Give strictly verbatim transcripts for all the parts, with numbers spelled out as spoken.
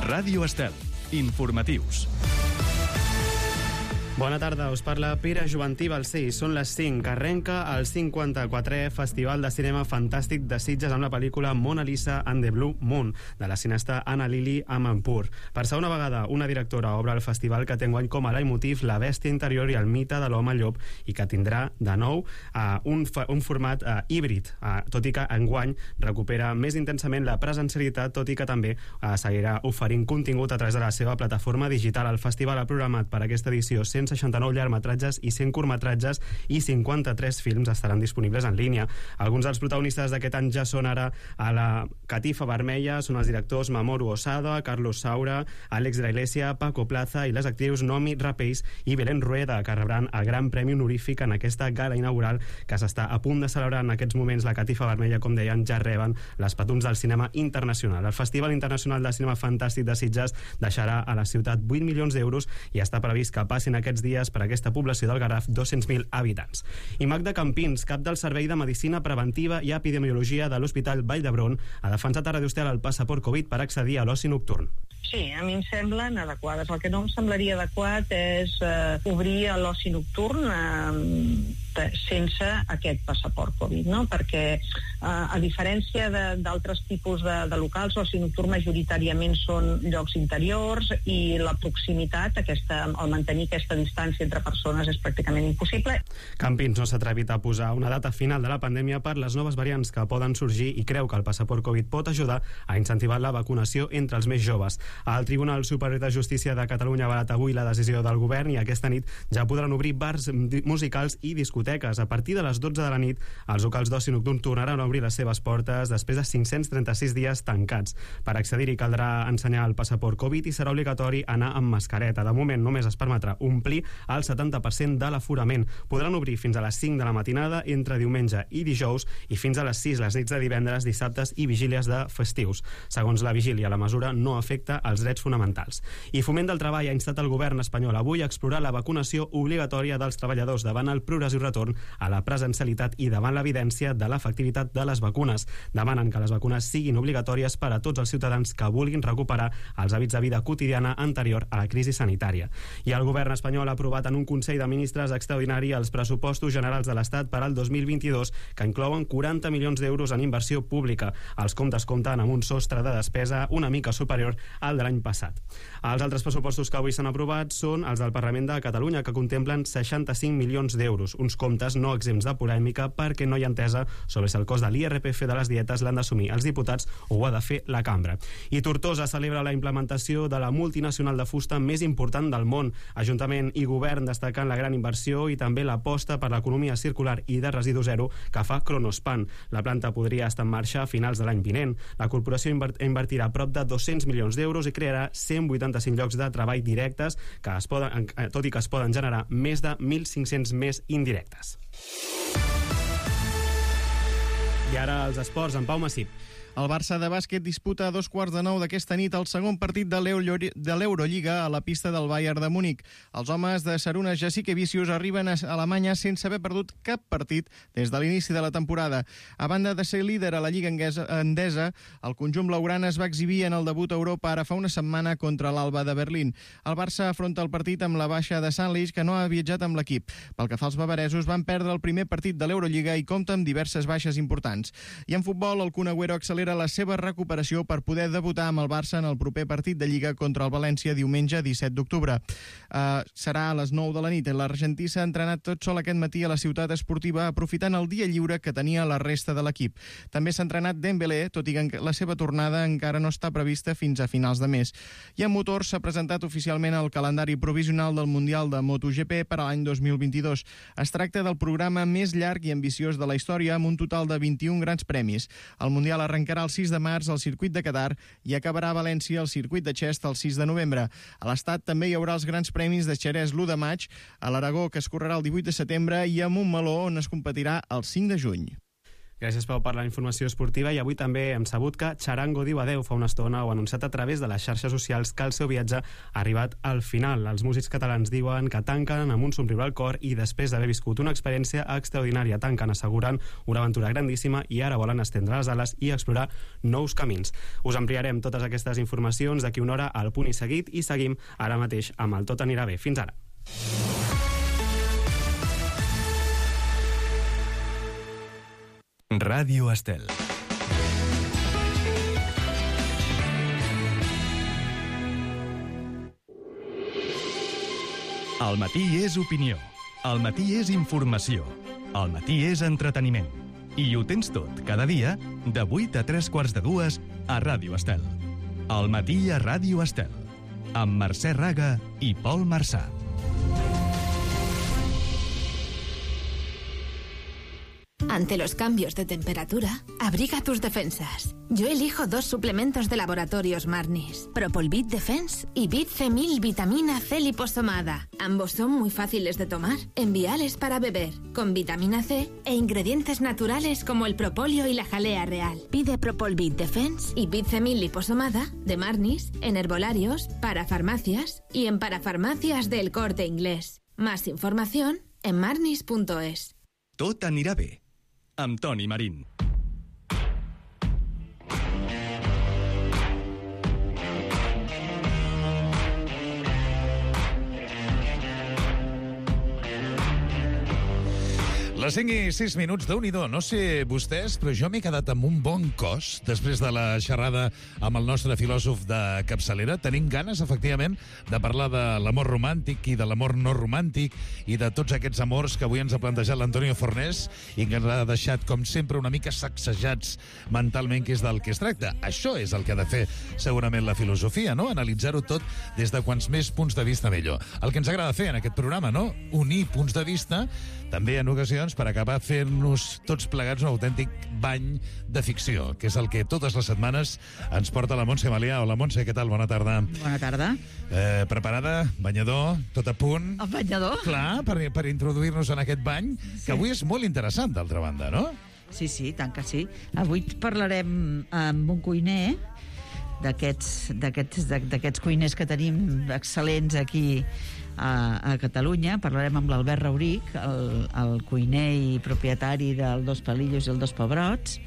Ràdio Estel. Informatius. Bona tarda, us parla Pere Joventí Balcells. Són les cinc, que arrenca el cinquanta-quatrè Festival de Cinema Fantàstic de Sitges amb la pel·lícula Mona Lisa and the Blue Moon, de la cineasta Anna Lily Amanpour. Per segona vegada, una directora obre el festival que té enguany com a leitmotiv la bèstia interior i el mite de l'home llop, i que tindrà, de nou, uh, un, un format uh, híbrid, uh, tot i que enguany recupera més intensament la presencialitat, tot i que també uh, seguirà oferint contingut a través de la seva plataforma digital. El festival ha programat per aquesta edició cent seixanta-nou llargmetratges i cent curtmetratges, i cinquanta-tres films estaran disponibles en línia. Alguns dels protagonistes d'aquest any ja són ara a la catifa vermella, són els directors Mamoru Osada, Carlos Saura, Àlex de la Iglesia, Paco Plaza i les actrius Nomi Rapace i Belén Rueda, que rebran el Gran Premi Honorífic en aquesta gala inaugural que s'està a punt de celebrar en aquests moments. La catifa vermella, com deien, ja reben les patums del cinema internacional. El Festival Internacional de Cinema Fantàstic de Sitges deixarà a la ciutat vuit milions d'euros i està previst que passin aquests dies per aquesta població del Garraf dos-cents mil habitants. I Magda Campins, cap del Servei de Medicina Preventiva i Epidemiologia de l'Hospital Vall d'Hebron, ha defensat a Ràdio Estel el passaport Covid per accedir a l'oci nocturn. Sí, a mi em semblen adequades. El que no em semblaria adequat és eh, obrir l'oci nocturn eh, sense aquest passaport Covid, no? Perquè eh, a diferència d'altres tipus de, de locals, l'oci nocturn majoritàriament són llocs interiors i la proximitat, aquesta, el mantenir aquesta distància entre persones és pràcticament impossible. Campins no s'ha atrevit a posar una data final de la pandèmia per les noves variants que poden sorgir i creu que el passaport Covid pot ajudar a incentivar la vacunació entre els més joves. El Tribunal Superior de Justícia de Catalunya ha avalat avui la decisió del govern i aquesta nit ja podran obrir bars musicals i discoteques. A partir de les dotze de la nit, els locals d'oci nocturn tornaran a obrir les seves portes després de cinc-cents trenta-sis dies tancats. Per accedir-hi caldrà ensenyar el passaport Covid i serà obligatori anar amb mascareta. De moment només es permetrà omplir el setanta per cent de l'aforament. Podran obrir fins a les cinc de la matinada entre diumenge i dijous i fins a les sis les nits de divendres, dissabtes i vigílies de festius. Segons la vigília, la mesura no afecta els drets fonamentals. I Foment del Treball ha instat el govern espanyol avui a explorar la vacunació obligatòria dels treballadors davant el progressiu retorn a la presencialitat i davant l'evidència de l'efectivitat de les vacunes. Demanen que les vacunes siguin obligatòries per a tots els ciutadans que vulguin recuperar els hàbits de vida quotidiana anterior a la crisi sanitària. I el govern espanyol ha aprovat en un Consell de Ministres extraordinari els pressupostos generals de l'Estat per al dos mil vint-i-dos, que inclouen quaranta milions d'euros en inversió pública. Els comptes compten amb un sostre de despesa una mica superior al de l'any passat. Els altres pressupostos que avui s'han aprovat són els del Parlament de Catalunya, que contemplen seixanta-cinc milions d'euros, uns comptes no exempts de polèmica perquè no hi ha entesa sobre si el cost de l'I R P F de les dietes l'han d'assumir els diputats o ho ha de fer la cambra. I Tortosa celebra la implementació de la multinacional de fusta més important del món. Ajuntament i govern destacant la gran inversió i també l'aposta per l'economia circular i de residu zero que fa Kronospan. La planta podria estar en marxa a finals de l'any vinent. La corporació invertirà prop de dos-cents milions d'euros i crearà cent vuitanta-cinc llocs de treball directes, que es poden, tot i que es poden generar més de mil cinc-cents més indirectes. I ara els esports, en Pau Massip. El Barça de bàsquet disputa a dos quarts de nou d'aquesta nit el segon partit de l'Eurolliga a la pista del Bayern de Múnich. Els homes de Šarūnas Jasikevičius arriben a Alemanya sense haver perdut cap partit des de l'inici de la temporada. A banda de ser líder a la Lliga Endesa, el conjunt blaugrana es va exhibir en el debut a Europa ara fa una setmana contra l'Alba de Berlín. El Barça afronta el partit amb la baixa de Sanlich, que no ha viatjat amb l'equip. Pel que fa als bavaresos, van perdre el primer partit de l'Eurolliga i compta amb diverses baixes importants. I en futbol, el Kun Agüero accelera la seva recuperació per poder debutar amb el Barça en el proper partit de Lliga contra el València diumenge disset d'octubre. Uh, serà a les nou de la nit. L'argentí s'ha entrenat tot sol aquest matí a la ciutat esportiva aprofitant el dia lliure que tenia la resta de l'equip. També s'ha entrenat Dembélé, tot i que la seva tornada encara no està prevista fins a finals de mes. I en motor s'ha presentat oficialment el calendari provisional del Mundial de MotoGP per a l'any dos mil vint-i-dos. Es tracta del programa més llarg i ambiciós de la història amb un total de vint-i-un grans premis. El Mundial arrencarà el sis de març al circuit de Qatar i acabarà a València al circuit de Xest el sis de novembre. A l'Estat també hi haurà els grans premis de Xerès l'u de maig, a l'Aragó, que es correrà el divuit de setembre, i a Montmeló, on es competirà el cinc de juny. Gràcies, Pau, per la informació esportiva. I avui també hem sabut que Charango diu adeu fa una estona o ha anunciat a través de les xarxes socials que el seu viatge ha arribat al final. Els músics catalans diuen que tanquen amb un somriure al cor i després d'haver viscut una experiència extraordinària. Tanquen assegurant una aventura grandíssima i ara volen estendre les ales i explorar nous camins. Us ampliarem totes aquestes informacions d'aquí una hora al Punt i Seguit i seguim ara mateix amb el Tot anirà bé. Fins ara. Ràdio Estel. El matí és opinió. El matí és informació. El matí és entreteniment. I ho tens tot, cada dia, de vuit a tres quarts de dues, a Ràdio Estel. El matí a Ràdio Estel. Amb Mercè Raga i Pol Marçà. Ante los cambios de temperatura, abriga tus defensas. Yo elijo dos suplementos de Laboratorios Marnis, Propolvit Defense y Bit-Femil Vitamina C liposomada. Ambos son muy fáciles de tomar, enviales para beber, con vitamina C e ingredientes naturales como el propóleo y la jalea real. Pide Propolvit Defense y Bit-Femil liposomada de Marnis en herbolarios, parafarmacias y en parafarmacias del Corte Inglés. Más información en marnis punto es. Tot anirà bé. Amb Toni Marín. Les cinc i sis minuts, Déu-n'hi-do. No sé vostès, però jo m'he quedat amb un bon cos després de la xerrada amb el nostre filòsof de capçalera. Tenim ganes, efectivament, de parlar de l'amor romàntic i de l'amor no romàntic i de tots aquests amors que avui ens ha plantejat l'Antonio Fornés i que ens ha deixat, com sempre, una mica sacsejats mentalment, que és del que es tracta. Això és el que ha de fer, segurament, la filosofia, no? Analitzar-ho tot des de quants més punts de vista millor. El que ens agrada fer en aquest programa, no? Unir punts de vista, també en ocasions, per acabar fent-nos tots plegats un autèntic bany de ficció, que és el que totes les setmanes ens porta la Montse Malià. Hola, Montse, què tal? Bona tarda. Bona tarda. Eh, preparada? Banyador? Tot a punt? El banyador? Clar, per, per introduir-nos en aquest bany, sí, que avui és molt interessant, d'altra banda, no? Sí, sí, tant que sí. Avui parlarem amb un cuiner d'aquests d'aquests d'aquests cuiners que tenim excel·lents aquí a, a Catalunya. Parlarem amb l'Albert Rauric, el, el cuiner i propietari del Dos Palillos i el Dos Pebrots,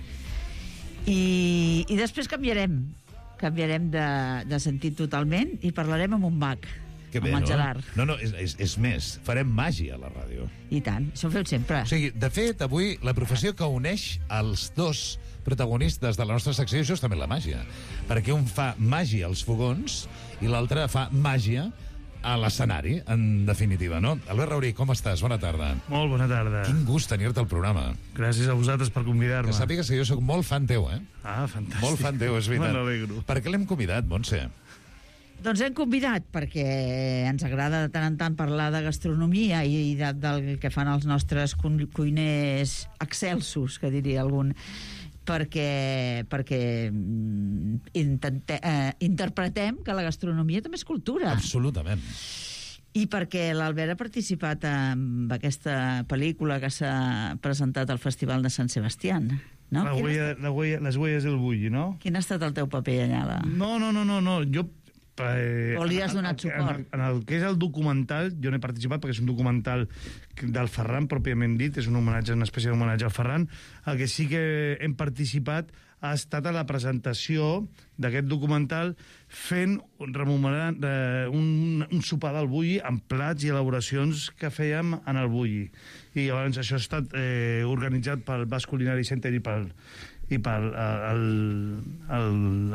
i, i després canviarem canviarem de, de sentit totalment i parlarem amb un mag, que bé, amb el no? Gerard. No, no, és, és, és més, farem màgia a la ràdio. I tant, això ho feu sempre. O sigui, de fet, avui la professió que uneix els dos protagonistes de la nostra secció és justament la màgia, perquè un fa màgia als fogons i l'altre fa màgia a l'escenari, en definitiva, no? Albert Rauric, com estàs? Bona tarda. Molt bona tarda. Quin gust tenir-te al programa. Gràcies a vosaltres per convidar-me. Que sàpigues que jo sóc molt fan teu, eh? Ah, fantàstic. Molt fan teu, és veritat. Me n'alegro. Per què l'hem convidat, Montse? Doncs hem convidat perquè ens agrada de tant en tant parlar de gastronomia i de, del que fan els nostres cuiners excelsos, que diria algun, perquè, perquè intente, eh, interpretem que la gastronomia també és cultura. Absolutament. I perquè l'Albert ha participat en aquesta pel·lícula que s'ha presentat al Festival de Sant Sebastián. No? La huella, la huella, les huelles del bulli, no? Quin ha estat el teu paper allà? La... No, no, no, no, no. Jo... Eh, o li has donat suport? En, en el que és el documental, jo no he participat perquè és un documental del Ferran, pròpiament dit, és un homenatge, una espècie d'homenatge al Ferran. El que sí que hem participat ha estat a la presentació d'aquest documental fent, rememorant, eh, un, un sopar del bulli amb plats i elaboracions que fèiem en el bulli. I llavors això ha estat eh, organitzat pel Basque Culinary Center i pel i pel el, el,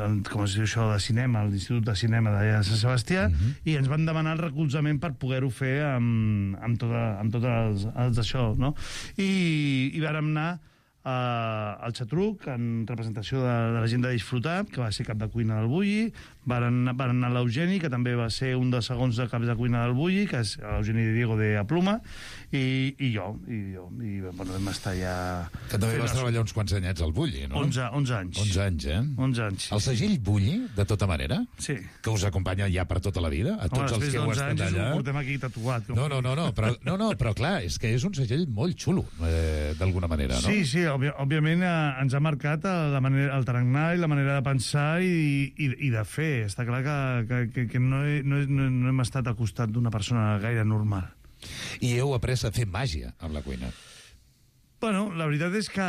el, com es diu això, de cinema, l'Institut de Cinema d'allà de Sant Sebastià, uh-huh. I ens van demanar el recolzament per poder-ho fer amb, amb tot, amb tot els, els d'això, no? I, i vàrem anar Uh, al Xatruc, en representació de, de la gent de Disfrutar, que va ser cap de cuina del Bulli. Varen, varen anar l'Eugeni, que també va ser un dels segons de caps de cuina del Bulli, que és l'Eugeni de Diego de Apluma, i, i jo, i jo, i bueno, vam estar ja... Que també vas treballar uns quants anyets al Bulli, no? onze, onze anys. onze anys, eh? onze anys, sí. El segell Bulli, de tota manera? Sí. Que us acompanya ja per tota la vida? A tots Home, els que heu estat allà? anys ho portem aquí tatuat. Com... No, no, no, no, però, no, no, però clar, és que és un segell molt xulo, eh, d'alguna manera, no? Sí, sí, òbvi òbviament eh, ens ha marcat la manera, el tarannà i la manera de pensar i, i, i de fer. Està clar que, que, que, que no, he, no, he, no hem estat al costat d'una persona gaire normal. I heu après a fer màgia amb la cuina. Bueno, la veritat és que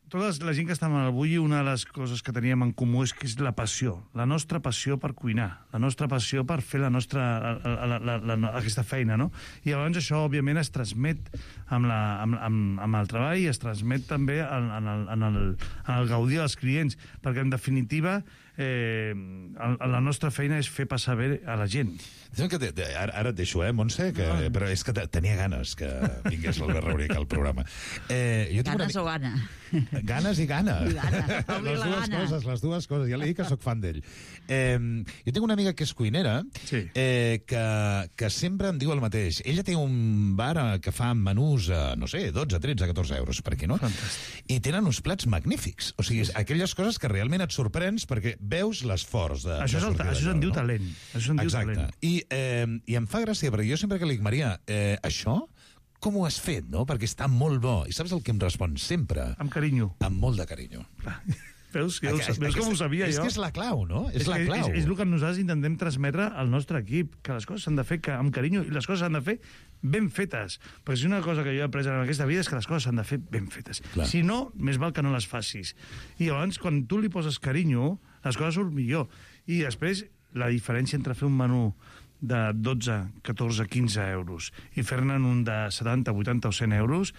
tota la gent que estava al Bulli, una de les coses que teníem en comú és que és la passió, la nostra passió per cuinar, la nostra passió per fer la nostra, la, la, la, la, aquesta feina, no? I llavors això, òbviament, es transmet amb, la, amb, amb, amb el treball i es transmet també en, en, el, en, el, en el gaudir dels clients, perquè, en definitiva, eh, la nostra feina és fer passar bé a la gent. Que te, te, ara, ara et deixo, eh, Montse? Que, no. Però és que tenia ganes que vingués l'Albert Rauric al programa. Eh, jo ganes una... o gana? Ganes i gana. I gana. Les dues gana. coses, les dues coses. Ja li dic que sóc fan d'ell. Eh, jo tinc una amiga que és cuinera, sí. eh, que, que sempre em diu el mateix. Ella té un bar que fa menús a, no sé, dotze, tretze, catorze euros, per aquí, no? Fantàstic. I tenen uns plats magnífics. O sigui, aquelles coses que realment et sorprens perquè veus l'esforç de, això de sortir el, Això se'n diu no? talent. Això se'n diu Exacte. talent. I, eh, I em fa gràcia, perquè jo sempre que li dic, Maria, eh, això com ho has fet, no? Perquè està molt bo. I saps el que em respon sempre? Amb carinyo. Amb molt de carinyo. Veus, que, Aquest, veus com ho sabia és jo? És que és la clau, no? És, és la clau. És, és el que nosaltres intentem transmetre al nostre equip, que les coses s'han de fer que, amb carinyo i les coses s'han de fer ben fetes. Perquè si una cosa que jo he après en aquesta vida és que les coses s'han de fer ben fetes. Clar. Si no, més val que no les facis. I llavors, quan tu li poses carinyo, les coses surt millor. I després, la diferència entre fer un menú de dotze, catorze, quinze euros i fer-ne un de setanta, vuitanta o cent euros,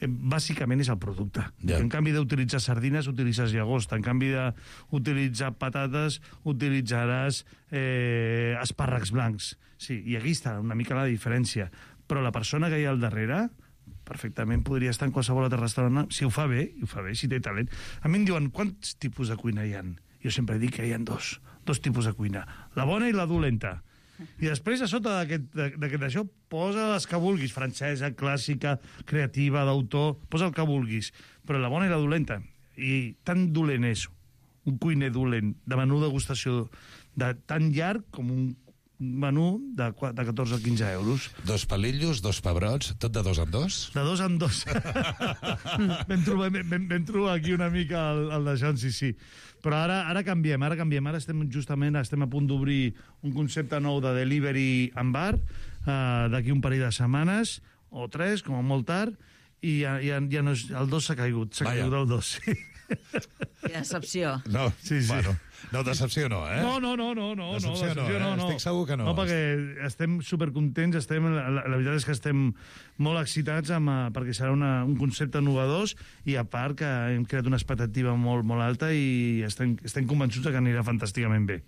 eh, bàsicament és el producte. Yeah. En canvi d'utilitzar sardines, utilitzes llagosta. En canvi d'utilitzar patates, utilitzaràs eh, espàrrecs blancs. Sí, i aquí està una mica la diferència. Però la persona que hi ha al darrere perfectament podria estar en qualsevol altre restaurant. Si ho fa bé, ho fa bé, si té talent. A mi em diuen, quants tipus de cuina hi ha? Jo sempre dic que hi ha dos, dos tipus de cuina. La bona i la dolenta. I després, a sota d'aquest això, posa les que vulguis, francesa, clàssica, creativa, d'autor, posa el que vulguis, però la bona i la dolenta. I tan dolent és un cuiner dolent, de menú degustació, de tan llarg com un menú de, de catorze a quinze euros. Dos palillos, dos pebrots, tot de dos en dos? De dos en dos. vam, trobar, vam, vam trobar aquí una mica el, el de John, sí, sí. Però ara, ara canviem, ara canviem. Ara estem justament estem a punt d'obrir un concepte nou de delivery en bar, uh, d'aquí un parell de setmanes, o tres, com a molt tard, i ja, ja, ja no és, el dos s'ha caigut, s'ha caigut el dos, sí. Que decepció. No, sí, sí. Bueno, no, decepció no, eh? No, no, no, no, no, decepció no, decepció no, eh? no, no. Estic segur que no. No, perquè estem supercontents, estem, la, la veritat és que estem molt excitats amb, perquè serà una, un concepte innovador i a part que hem creat una expectativa molt, molt alta i estem, estem convençuts que anirà fantàsticament bé.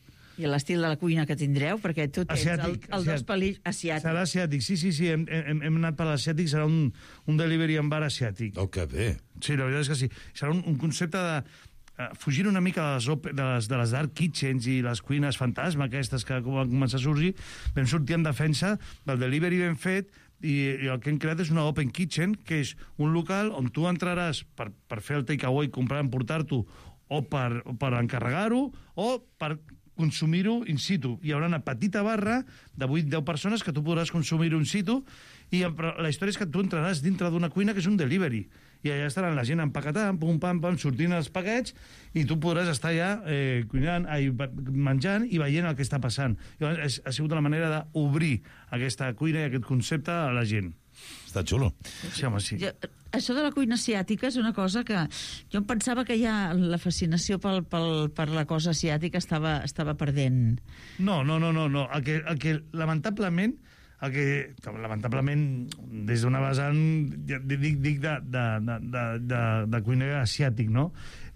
I l'estil de la cuina que tindreu, perquè tu tens asiàtic, el, el dos pelills asiàtic. Serà asiàtic, sí, sí, sí, hem, hem, hem anat per l'asiàtic, serà un, un delivery en bar asiàtic. Oh, que bé. Sí, la veritat és que sí. Serà un, un concepte de uh, fugir una mica de les, de, les, de les dark kitchens i les cuines fantasma aquestes que van començar a sorgir. Vam sortir en defensa del delivery ben fet i, i el que hem creat és una open kitchen, que és un local on tu entraràs per, per fer el takeaway, comprar, emportar-t'ho, o per, per encarregar-ho, o per consumir-ho in situ. Hi haurà una petita barra de vuit a deu persones que tu podràs consumir-ho in situ, i però la història és que tu entraràs dintre d'una cuina que és un delivery, i allà estaran la gent empaquetant, pum, pam, pam, sortint els paquets, i tu podràs estar allà eh, cuinant, ai, menjant i veient el que està passant. Llavors, ha sigut la manera d'obrir aquesta cuina i aquest concepte a la gent. Està xulo. Sí, home, sí. Jo, això de la cuina asiàtica és una cosa que jo em pensava que ja la fascinació pel, pel, per la cosa asiàtica estava, estava perdent. No, no, no, no, no. El que, el que lamentablement, el que, lamentablement, des d'una vessant, dic, dic de, de, de, de, de cuina asiàtic, no?,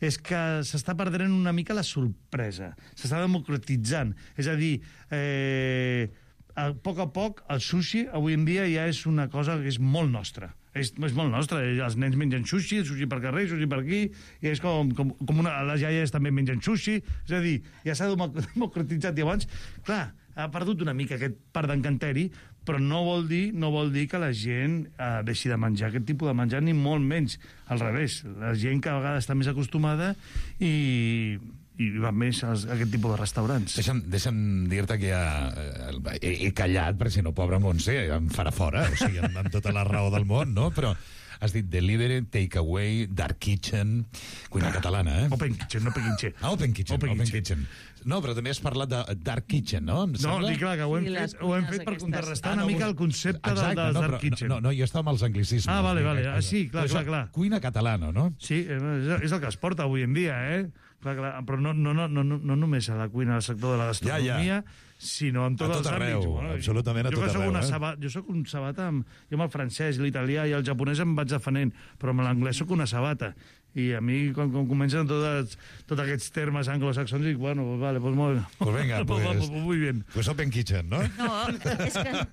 és que s'està perdent una mica la sorpresa. S'està democratitzant. És a dir, eh, a poc a poc, el sushi, avui en dia, ja és una cosa que és molt nostra. És, és molt nostra. Els nens mengen sushi, sushi per carrer, sushi per aquí, i és com, com, com una, les iaies també mengen sushi. És a dir, ja s'ha democratitzat. I abans, clar, ha perdut una mica aquest part d'encanteri, però no vol dir no vol dir que la gent eh, deixi de menjar aquest tipus de menjar, ni molt menys. Al revés, la gent cada vegada està més acostumada i... i va més a aquest tipus de restaurants. Deixa'm, deixa'm dir-te que ja eh, he, he callat, perquè si no, pobre Montse, em farà fora, o sigui, amb, amb tota la raó del món, no? Però has dit delivery, takeaway, dark kitchen, cuina ah, catalana, eh? Open kitchen, no pequinxe. Ah, open kitchen, open, open kitchen. kitchen. No, però també has parlat de dark kitchen, no? Em No, sembla? dic clar, que ho hem Sí, les fet, ho hem fet cuines per aquestes. contrarrestar Ah, una no, mica vos- el concepte del, Exacte, del no, dark però kitchen. No, no, jo estava amb els anglicismes. Ah, vale, Vinga, vale. cosa. Ah, sí, clar, Però clar, això, clar. Cuina catalana, no? Sí, és, és el que es porta avui en dia, eh? Clar, clar, però no, no, no, no, no només a la cuina, al sector de la gastronomia, Ja, ja. sinó en tots A tot els arreu, àmbits. absolutament a jo tot que soc arreu, una eh? sabata, jo sóc un sabata, amb, jo amb el francès, l'italià i el japonès em vaig defenent, però amb l'anglès sóc una sabata. I a mi, quan, quan comencen tots, tots aquests termes anglosaxons, dic, bueno, vale, pues molt bé. Pues venga, pues, pues, pues, muy bien. Pues open kitchen, no? No, és que,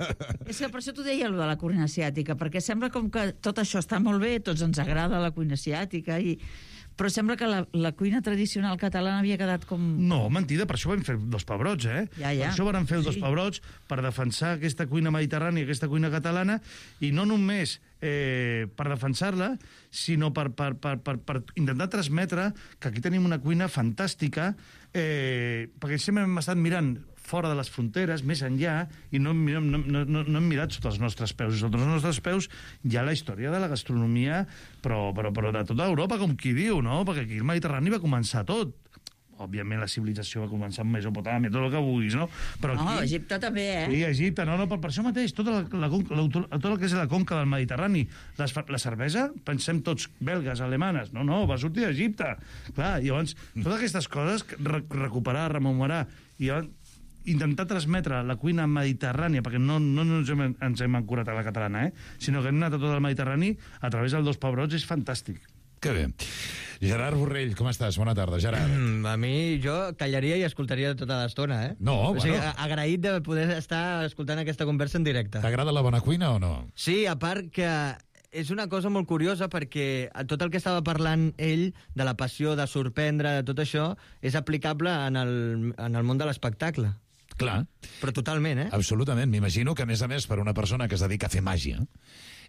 és que per això t'ho deia, allò de la cuina asiàtica, perquè sembla com que tot això està molt bé, tots ens agrada la cuina asiàtica, i... però sembla que la, la cuina tradicional catalana havia quedat com... No, mentida, per això vam fer dos pebrots, eh? Ja, ja. Per això vam fer els dos Sí. pebrots, per defensar aquesta cuina mediterrània, aquesta cuina catalana, i no només eh, per defensar-la, sinó per, per, per, per, per intentar transmetre que aquí tenim una cuina fantàstica, eh, perquè sempre hem estat mirant fora de les fronteres, més enllà, i no, hem- no, no, no, no hem mirat sota els nostres peus. Sota els nostres peus hi ha la història de la gastronomia, però, però, però de tota Europa, com qui diu, no? Perquè aquí el Mediterrani va començar tot. Òbviament la civilització va començar amb Mesopotàmia, tot el que vulguis, no? Però No, aquí... Egipte també, eh? Sí, Egipte, no, no, per, per això mateix, tota la, la, conca- la, tot el que és la conca del Mediterrani, les, fa- la cervesa, pensem tots belgues, alemanes, no, no, va sortir d'Egipte. Clar, i llavors, totes aquestes coses, re, recuperar, rememorar, i llavors, intentar transmetre la cuina mediterrània, perquè no, no ens, hem, ens hem ancorat a la catalana, eh? Sinó que hem anat a tot el Mediterrani a través dels dos pebrots, és fantàstic. Que bé. Gerard Borrell, com estàs? Bona tarda, Gerard. Mm, a mi, jo callaria i escoltaria tota l'estona, eh? No, o sigui, bueno. a- agraït de poder estar escoltant aquesta conversa en directe. T'agrada la bona cuina o no? Sí, a part que és una cosa molt curiosa perquè tot el que estava parlant ell de la passió, de sorprendre, de tot això, és aplicable en el, en el món de l'espectacle. Clar. Però totalment, eh? Absolutament. M'imagino que, a més a més, per una persona que es dedica a fer màgia,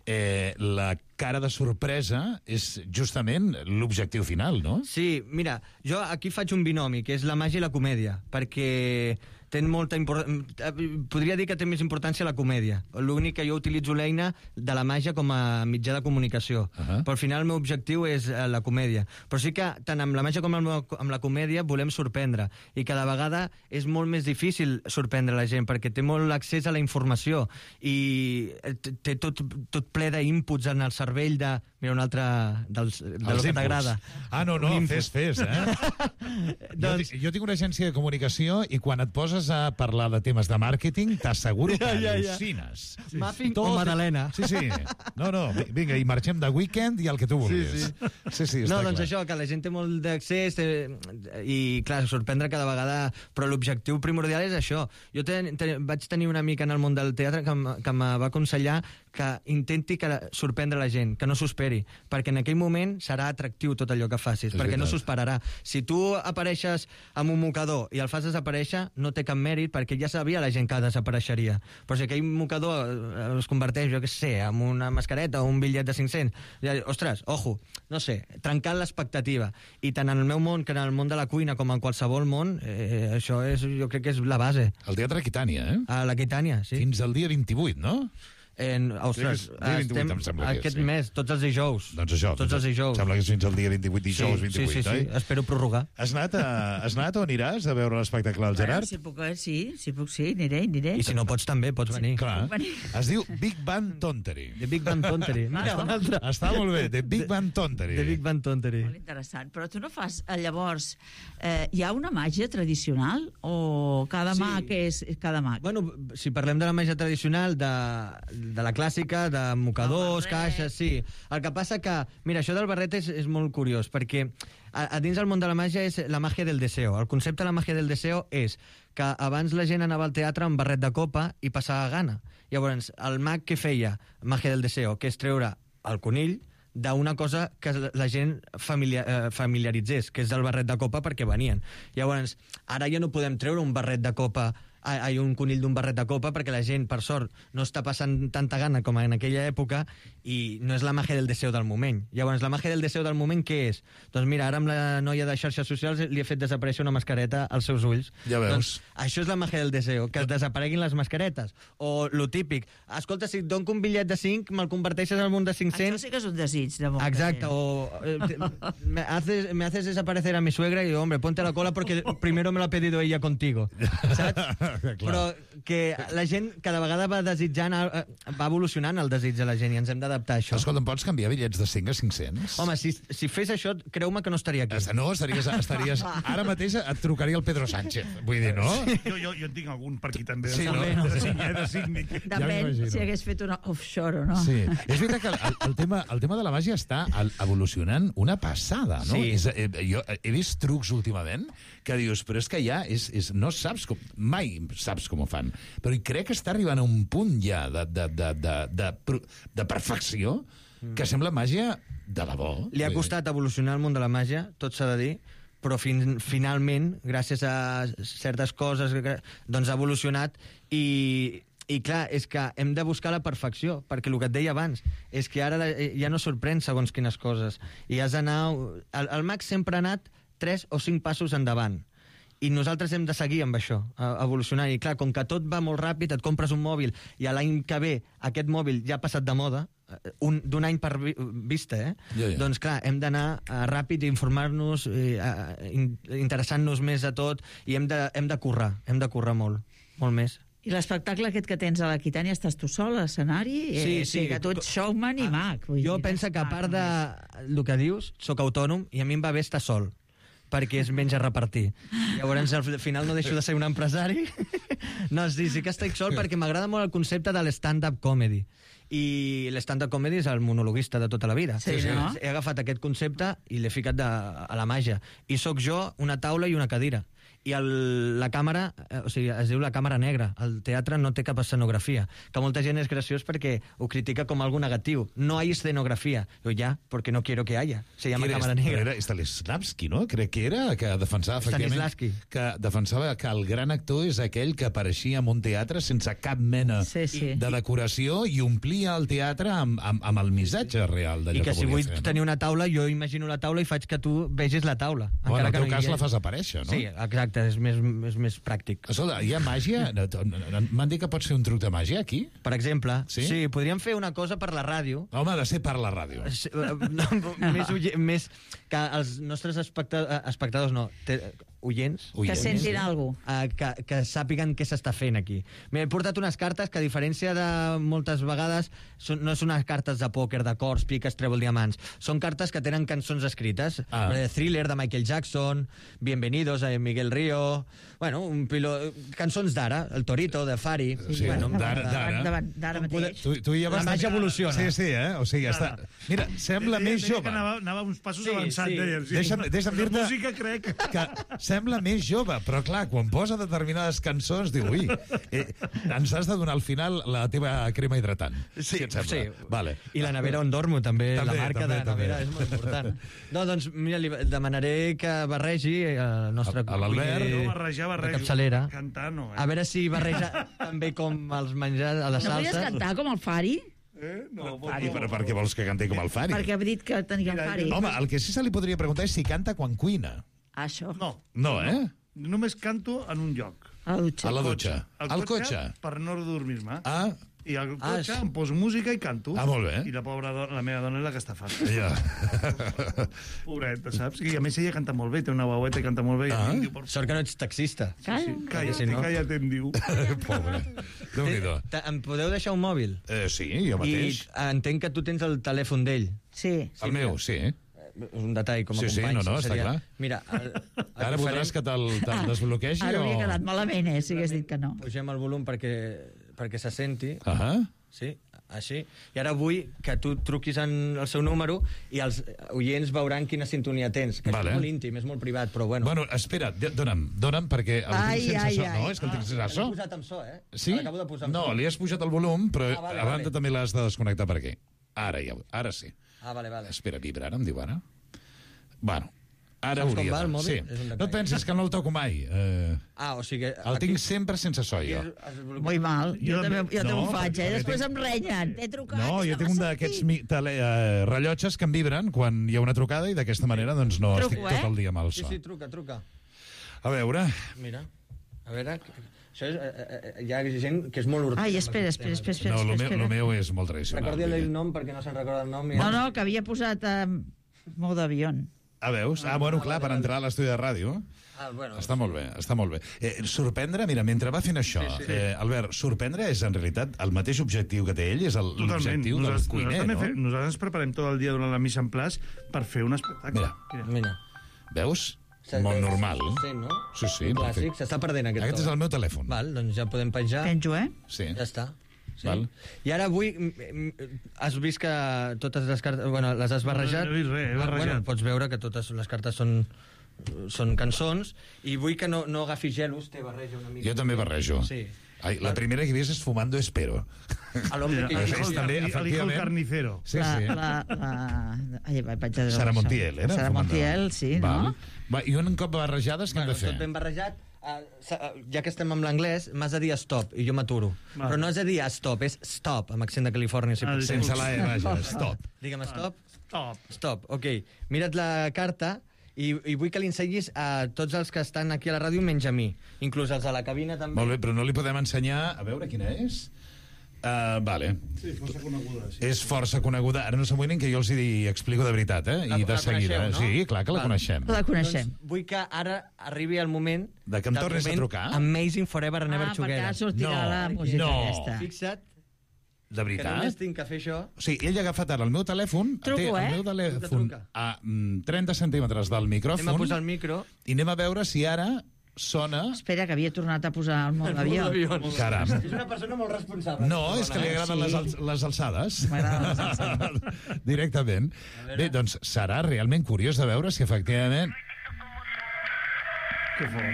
eh, la cara de sorpresa és justament l'objectiu final, no? Sí, mira, jo aquí faig un binomi, que és la màgia i la comèdia, perquè té molta importància... Podria dir que té més importància la comèdia. L'únic que jo utilitzo l'eina de la màgia com a mitjà de comunicació. Uh -huh. Però al final el meu objectiu és eh, la comèdia. Però sí que tant amb la màgia com amb, el, amb la comèdia volem sorprendre. I cada vegada és molt més difícil sorprendre la gent, perquè té molt accés a la informació i té tot, tot ple d'inputs en el cervell de... Mira, un altre dels, de lo Els que inputs. t'agrada. Ah, no, no, Un input. fes, fes, eh? jo, Doncs- ti- jo tinc una agència de comunicació i quan et poses a parlar de temes de màrqueting, t'asseguro que Ja, ja, ja. al·lucines. Muffin o Madalena. Sí, sí. No, no, vi- vinga, i marxem de weekend i el que tu vulguis. Sí, sí. Sí, sí, està No, doncs clar. això, que la gent té molt d'accés té... i, clar, sorprendre cada vegada... Però l'objectiu primordial és això. Jo ten, ten, vaig tenir una mica en el món del teatre que, em- que em va aconsellar que intenti que sorprendre la gent, que no s'ho esperi, perquè en aquell moment serà atractiu tot allò que facis, És perquè no veritat. s'ho esperarà. Si tu apareixes amb un mocador i el fas desaparèixer, no té cap mèrit, perquè ja sabia la gent que desapareixeria. Però si aquell mocador eh, es converteix, jo què sé, en una mascareta o un bitllet de cinc-cents, ja, ostres, ojo, no sé, trencant l'expectativa. I tant en el meu món que en el món de la cuina com en qualsevol món, eh, això és, jo crec que és la base. El Teatre Aquitània, eh? A l'Aquitània, sí. Fins al dia vint-i-vuit, no? En, ostres, Crec que és dia vint-i-vuit, estem em sembla que és, aquest sí. mes, tots els dijous. Doncs això. Tots els dijous. Sembla que és fins al dia vint-i-vuit, dijous sí, vint-i-vuit, sí, sí, oi? sí, espero prorrogar. Has anat, a, has anat o aniràs a veure l'espectacle del Gerard? Bueno, si puc, eh, sí, si puc, sí, aniré, aniré. I si no pots també, pots venir. Clar. Puc venir. Es diu Big Bang Tontery. The Big Bang Tontery. Mira, un altre. Està molt bé, The Big Bang Tontery. The Big Bang Tontery. Molt interessant. Però tu no fas... eh, Llavors, eh, hi ha una màgia tradicional o cada Sí. mag és cada mag? Bueno, si parlem de la màgia tradicional, de, de la clàssica, de mocadors, El barret. caixes, sí. El que passa que, mira, això del barret és, és molt curiós, perquè a, a dins del món de la màgia és la màgia del deseo. El concepte de la màgia del deseo és que abans la gent anava al teatre amb barret de copa i passava gana. Llavors, el mag què feia? Màgia del deseo, que és treure el conill d'una cosa que la gent familiar, eh, familiaritzés, que és el barret de copa perquè venien. Llavors, ara ja no podem treure un barret de copa hay un conill d'un barret de copa, perquè la gent, per sort, no està passant tanta gana com en aquella època i no és la màgia del deseo del moment. Llavors, la màgia del deseo del moment què és? Doncs mira, ara amb la noia de xarxes socials li he fet desaparèixer una mascareta als seus ulls. Ja veus. Doncs això és la màgia del deseo, que es desapareguin les mascaretes. O lo típic, escolta, si et dono un bitllet de cinc, me'l converteixes en un de cinc-cents... Això sí que és un desig de molta Exacte, gent. o eh, me haces, me haces desaparecer a mi suegra y yo, hombre, ponte a la cola porque primero me lo ha pedido ella contigo, saps? Però que la gent cada vegada va desitjant, eh, va evolucionant el desig de la gent i ens hem d'adaptar a això. Escolta, em pots canviar bitllets de cinc a cinc-cents? Home, si, si fes això, creu-me que no estaria aquí. No, estaries, estaries... Ara mateix et trucaria el Pedro Sánchez. Vull dir, no? Jo, jo, jo en tinc algun per aquí també. Sí, no? De cinc, eh, de cinc. Depèn si hagués fet una offshore o no. Sí. És veritat que el, el, tema, el tema de la màgia està evolucionant una passada, no? Sí. És, eh, jo he vist trucs últimament que dius, però és que ja és, és, no saps com... Mai saps com ho fan. Però crec que està arribant a un punt ja de, de, de, de, de, de perfecció que sembla màgia de debò. Li ha costat evolucionar el món de la màgia, tot s'ha de dir, però fin, finalment, gràcies a certes coses, doncs ha evolucionat i... I clar, és que hem de buscar la perfecció, perquè el que et deia abans és que ara ja no sorprèn segons quines coses. I has d'anar... El, el Max sempre ha anat tres o cinc passos endavant. I nosaltres hem de seguir amb això, evolucionant. I clar, com que tot va molt ràpid, et compres un mòbil i a l'any que ve aquest mòbil ja ha passat de moda, un, d'un any per vi, vista, eh? Ja, ja. Doncs clar, hem d'anar uh, ràpid i informar-nos, uh, in, interessant-nos més a tot, i hem de, hem de currar, hem de currar molt, molt més. I l'espectacle aquest que tens a l'Aquitània, estàs tu sol a l'escenari? Sí, eh, sí. Que tu ets showman i mag. Vull Jo dir, penso que a part de només. el que dius, sóc autònom i a mi em va bé estar sol, perquè és menys a repartir. Llavors, al final no deixo de ser un empresari. No, sí, sí que estic sol perquè m'agrada molt el concepte de l'stand-up comedy. I l'stand-up comedy és el monologuista de tota la vida. Sí, no? He agafat aquest concepte i l'he ficat de, a la màgia. I sóc jo, una taula i una cadira. I el, la càmera, eh, o sigui, es diu la càmera negra. El teatre no té cap escenografia. Que molta gent és graciós perquè ho critica com algo negatiu. No hay escenografía. Yo ya, porque no quiero que haya. Se llama càmera negra. Era Stanislavski, no? Crec que era, que defensava, efectivament, Stanislavski. que defensava que el gran actor és aquell que apareixia en un teatre sense cap mena Sí, sí. de decoració i omplia el teatre amb, amb, amb el missatge real d'allò I que que si volia vull fer. No? tenir una taula, jo imagino la taula i faig que tu vegis la taula. Bueno, en el teu no hi cas hagi. la fas aparèixer, no? Sí, exacte, és més, és més pràctic. Escolta, hi ha màgia? M'han dit que pots fer un truc de màgia aquí? Per exemple, Sí? sí, podríem fer una cosa per la ràdio. Home, ha de ser per la ràdio. Sí, eh, no, més, ulle- més que els nostres especta espectadors, no, te, oients, Que Oients. sentin alguna cosa. eh, que, que sàpiguen què s'està fent aquí. M'he portat unes cartes que, a diferència de moltes vegades, són, no són unes cartes de pòquer, de cors, piques, trèvol, diamants. Són cartes que tenen cançons escrites. Ah. Eh, Thriller, de Michael Jackson, Bienvenidos, de Miguel Río... Bueno, un pilo... cançons d'ara, El Torito, de Fari... Sí, bueno, d'ara, d'ara. Davant- D'ara mateix. Tu, tu ja La vas... màgia evoluciona. Sí, sí, eh? O sigui, està... Mira, sembla Deia- més deia jove. Que anava, anava uns passos Sí, avançat, sí. deia. Sí. Deixa'm, deixa'm La dir-te música, crec... que sembla més jove, però clar, quan posa determinades cançons, diu, ui, eh, ens has de donar al final la teva crema hidratant. Sí, si et sembla. sí. Vale. I la nevera on dormo, també, També, la marca també, de nevera també. és molt important. No, doncs, mira, li demanaré que barregi el nostre... A- a l'Albert. cuiner No, barrejar, de barrejo. capçalera. Cantar, no, eh? A veure si barreja també com els menjars a les No volies salses. cantar com el Fari? Eh? No, I per, per què vols que canti com el Fari? Perquè ha dit que tenia el Fari. Home, el que sí se li podria preguntar és si canta quan cuina. Això. no. No, eh? Només canto en un lloc. A la dutxa. A la dutxa. Al Al cotxe. Per no dormir-me. Ah, I al Ah, cotxe sí. em poso música i canto. Ah, molt bé. I la pobra dona, la meva dona és la que està fàcil. ja. Pobreta, saps? I a més ella canta molt bé, té una veueta i canta molt bé. Ah. I em diu, por Sort que no ets taxista. Calla. Sí, calla't, Si no- calla't, em diu. Pobre. Déu-n'hi-do. Te- Em podeu deixar un mòbil? Eh, sí, jo I mateix. entenc que tu tens el telèfon d'ell. Sí. El meu, sí. És un detall com a Sí, sí, company. no, no, està clar. Mira, el, el Ara voldràs que te'l te'l desbloquegi Ara o... hauria quedat malament, eh, si hagués dit que no. Pugem el volum perquè, perquè se senti. Ah, Sí, així. I ara vull que tu truquis en el seu número i els oients veuran quina sintonia tens, que Vale. és molt íntim, és molt privat, però bueno. bueno, espera, d- dona'm, dona'm, perquè el Ai, tinc sense ai, so. ai. No, és que el tinc sense L'he so. posat amb so, eh? Sí? L'acabo de posar amb No, so. li has pujat el volum, però Ah, vale, a banda vale. també l'has de desconnectar per aquí. Ara ja, ara sí. Ah, vale, vale. Espera, vibra, ara em diu ara. Bueno, Ara Saps com hauria va el de... mòbil? Sí. És un detall. No et pensis que no el toco mai. Eh, Ah, o sigui... el tinc sempre sense so, jo. Muy mal. Jo, Jo també, també- jo també no, ho faig, eh? perquè Després tinc- em renyen. T'he trucat. No, jo no tinc un m'has d'aquests sentit. mi- tele, eh, rellotges que em vibren quan hi ha una trucada i d'aquesta manera doncs no Truco, estic eh? tot el dia amb el Sí, so. sí, truca, truca. A veure... Mira, a veure... Això és, eh, eh, hi ha gent que és molt urgent. Ai, espera, espera, espera, espera. No, el meu, espera. el meu és molt tradicional. Recordi el vull dir. nom perquè no se'n recorda el nom. I... No, no, que havia posat eh, mou d'avió. Ah, veus? Ah, bueno, clar, per entrar a l'estudi de ràdio. Ah, bueno. Està molt bé, està molt bé. Eh, sorprendre, mira, mentre va fent això, sí, sí. Eh, Albert, sorprendre és en realitat el mateix objectiu que té ell, és el- Totalment. l'objectiu del Nosaltres, cuiner, nosaltres, no? també fe- nosaltres ens preparem tot el dia durant la mise en place per fer un espectacle. Mira. Mira. Veus? Molt normal. Sí, no? Sí, sí, Un clàssic, perfecte. s'està perdent aquest Aquest to. és el meu telèfon. Val, doncs ja podem penjar. Penjo, eh? Sí. Ja està. Sí. Val. I ara avui mm, mm, has vist que totes les cartes... Bueno, les has barrejat. No he vist res, he barrejat. Bueno, pots veure que totes les cartes són són cançons i vull que no, no agafis gelos, te barreja una mica. Jo també barrejo. Sí. Ai, la primera que he vist és Fumando Espero. A l'home que... El És hijo, també, el hijo efectivament. carnicero. Sí, la, sí. La, la... Ai, vaig penjar de Sara això. Montiel, era? Sara Fumando. Montiel, sí, Val. no? Va, I un cop barrejades, què hem Bueno, de fer? tot ben barrejat. Uh, ja que estem amb l'anglès, m'has de dir stop, i jo m'aturo. Val. Però no has de dir stop, és stop, amb accent de Califòrnia, si El- pot ser. Sense la E, vaja, stop. Digue'm stop. Stop. Stop, ok. Mira't la carta i, i vull que li ensenyis a tots els que estan aquí a la ràdio menys a mi. Inclús els a la cabina també. Molt bé, però no li podem ensenyar... A veure quina és? Uh, vale. Sí, força coneguda, sí. És força coneguda. Ara no s'amoïnin que jo els hi explico de veritat, eh? La- I de la seguida. coneixeu, no? Sí, clar que la Val. coneixem. La coneixem. Doncs vull que ara arribi el moment... De que em del tornis a moment trucar? Amazing Forever and Never Ah, perquè Together. No, ara sortirà la música no. aquesta. Fixa't De que només veritat? tinc que fer això. O sigui, ell ha agafat ara el meu telèfon, Truco, té el eh? meu telèfon Truca, truca. a mm, trenta centímetres del micròfon Anem a posar el micro. i anem a veure si ara sona... Espera, que havia tornat a posar el mou d'avió. Caram. És una persona molt responsable. No, és que li agraden Sí. les, al les alçades. M'agraden les alçades. Directament. Bé, doncs serà realment curiós de veure si efectivament... Que fort.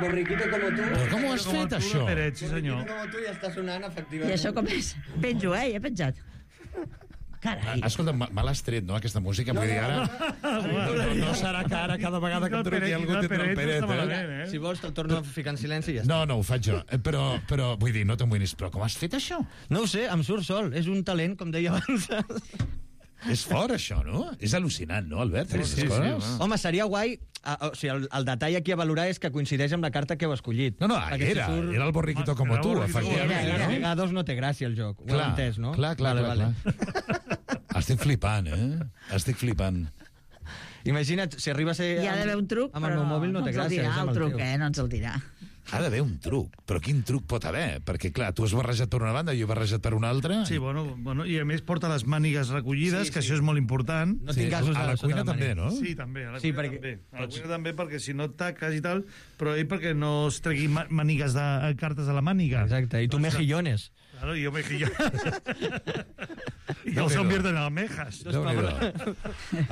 Borriquito como tu. Però com ho has Com el fet, tu de això? Peret, sí, senyor. Borriquito como tu ja està sonant, efectivament. I això com és? Penjo, eh? Ja he penjat. Carai. Escolta, me me l'has tret, no, aquesta música? Vull dir, ara... No, no serà que ara cada vegada que em truqui algú tindrà el Peret, eh? Si vols, te'l torno a ficar en silenci i ja està. No, no, ho faig jo. Eh, Però, però vull dir, no t'amoïnis, però com has fet això? No ho sé, em surt sol. És un talent, com deia abans. És fort, això, no? És al·lucinant, no, Albert? Sí, aquestes sí, sí, coses? home. Home, seria guai... Uh, o sigui, el, el detall aquí a valorar és que coincideix amb la carta que heu escollit. No, no, Perquè si era, surt- era el borriquito com Era el tu, borriquito como efectivament. tu. Era, A era. vegades no té gràcia el joc. Ho heu entès, no? Clar, clar, vale, clar, vale. clar. Estic flipant, eh? Estic flipant. Imagina't, si arriba a ser... Hi ha d'haver un truc, amb el però meu mòbil no té ens el gràcia. dirà és amb el truc, teu. eh? No ens el dirà. Ha d'haver un truc. Però quin truc pot haver? Perquè, clar, tu has barrejat per una banda i jo he barrejat per una altra. Sí, bueno, bueno, i a més porta les mànigues recollides, Sí, que sí. això és molt important. No tinc gasos a la sota cuina la també, màniga. no? Sí, també, a la Sí, cuina perquè- també. A la cuina també, perquè si no et taques i tal, però ell perquè no es tregui ma- mànigues de eh, cartes de la màniga. Exacte, i tu mejillones. Claro, y yo mejillo. I els convierten en almejas. Déu-n'hi-do.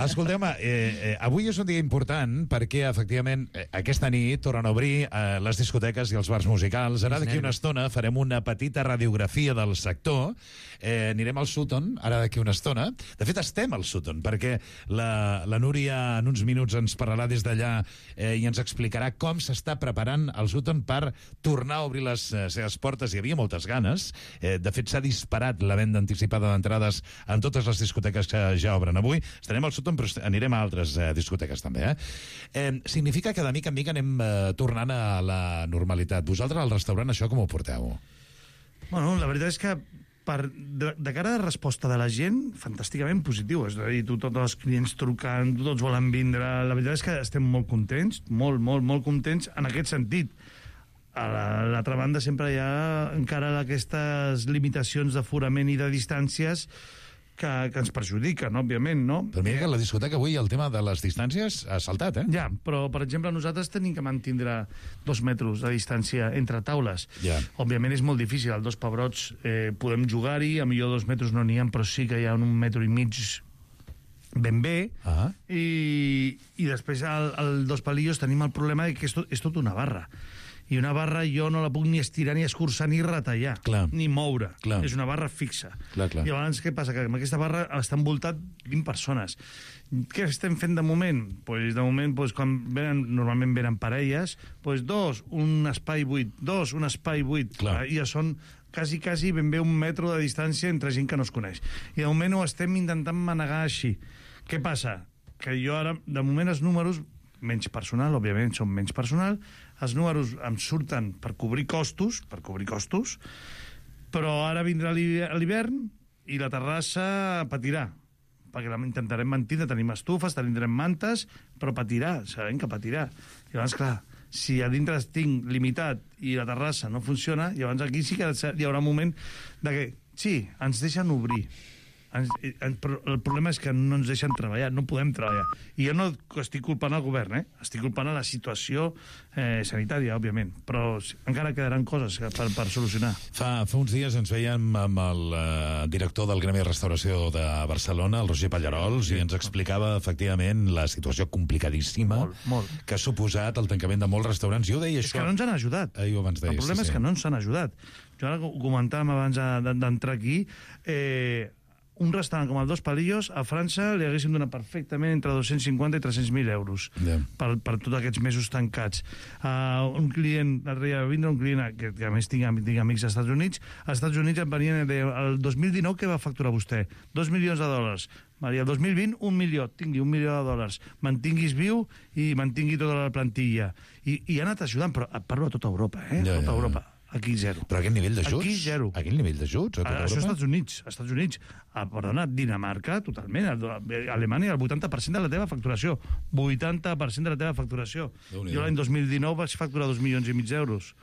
Escolteu, eh, eh, avui és un dia important perquè, efectivament, eh, aquesta nit tornen a obrir eh, les discoteques i els bars musicals. Ara d'aquí una estona farem una petita radiografia del sector. Eh, anirem al Sutton, ara d'aquí una estona. De fet, estem al Sutton, perquè la, la Núria en uns minuts ens parlarà des d'allà eh, i ens explicarà com s'està preparant el Sutton per tornar a obrir les eh, seves portes. Hi havia moltes ganes. Eh, de fet, s'ha disparat la venda anticipada d'entrades en totes les discoteques que ja obren avui. Estarem al Sutton, però est- anirem a altres eh, discoteques també. Eh? Eh, significa que de mica en mica anem eh, tornant a la normalitat. Vosaltres al restaurant això com ho porteu? Bueno, la veritat és que per, de, de cara a resposta de la gent, fantàsticament positiu. És a dir, tu, tots els clients trucant, tots volen vindre. La veritat és que estem molt contents, molt, molt, molt contents en aquest sentit. A la- l'altra banda sempre hi ha encara aquestes limitacions d'aforament i de distàncies que, que ens perjudiquen, òbviament, no? Però mira que a la discoteca avui el tema de les distàncies ha saltat, eh? Ja, però, per exemple, nosaltres tenim que mantindre dos metres de distància entre taules. Ja. Òbviament és molt difícil. Al Dos Pebrots eh, podem jugar-hi, a millor dos metres no n'hi ha, però sí que hi ha un metro i mig ben bé. Ah. I, i després al, al Dos Palillos tenim el problema de que és tot, és tot una barra. I una barra jo no la puc ni estirar, ni escurçar, ni retallar, Clar. ni moure. Clar. És una barra fixa. Clar, clar. I llavors què passa? Que amb aquesta barra està envoltat vint persones. Què estem fent de moment? Pues de moment, pues, quan venen, normalment venen parelles, pues dos, un espai buit, dos, un espai buit. Clar. I ja són quasi, quasi ben bé un metro de distància entre gent que no es coneix. I de moment ho estem intentant manegar així. Què passa? Que jo ara, de moment, els números, menys personal, òbviament, són menys personal, els números em surten per cobrir costos, per cobrir costos, però ara vindrà l'hivern i la terrassa patirà, perquè la intentarem mantenir, tenim estufes, tindrem mantes, però patirà, sabem que patirà. I llavors, clar, si a dintre tinc limitat i la terrassa no funciona, llavors aquí sí que hi haurà un moment de que, sí, ens deixen obrir, ens, en, però el problema és que no ens deixen treballar, no podem treballar. I jo no estic culpant el govern, eh? Estic culpant a la situació eh, sanitària, òbviament, però encara quedaran coses per, per solucionar. Fa, fa uns dies ens veiem amb el uh, director del Gremi de Restauració de Barcelona, el Roger Pallarols, sí, i ens explicava efectivament la situació complicadíssima molt, molt. que ha suposat el tancament de molts restaurants. Jo ho deia és això... És que no ens han ajudat. Ahir ho abans deies, el problema sí, és sí. que no ens han ajudat. Jo ara ho comentàvem abans d'entrar aquí, eh, un restaurant com el Dos Palillos, a França li haguéssim donat perfectament entre dos-cents cinquanta i tres-cents mil euros yeah. per, per tots aquests mesos tancats. Uh, un client, l'altre dia va vindre un client que, que a més tinc, tinc amics als Estats Units, als Estats Units em venien de, el dos mil dinou què va facturar vostè? Dos milions de dòlars. Maria, el dos mil vint, un milió. Tingui un milió de dòlars. Mantinguis viu i mantingui tota la plantilla. I, i ha anat ajudant, però parlo a tota Europa, eh? Ja, tota ja, Europa. ja. Aquí zero. Però aquest nivell d'ajuts? Aquí zero. Aquest nivell d'ajuts? A tota Això als Europa? Estats Units. Als Estats Units. Ah, perdona, Dinamarca, totalment. Alemanya, el vuitanta per cent de la teva facturació. vuitanta per cent de la teva facturació. Jo l'any dos mil dinou vaig facturar dos milions i mig d'euros.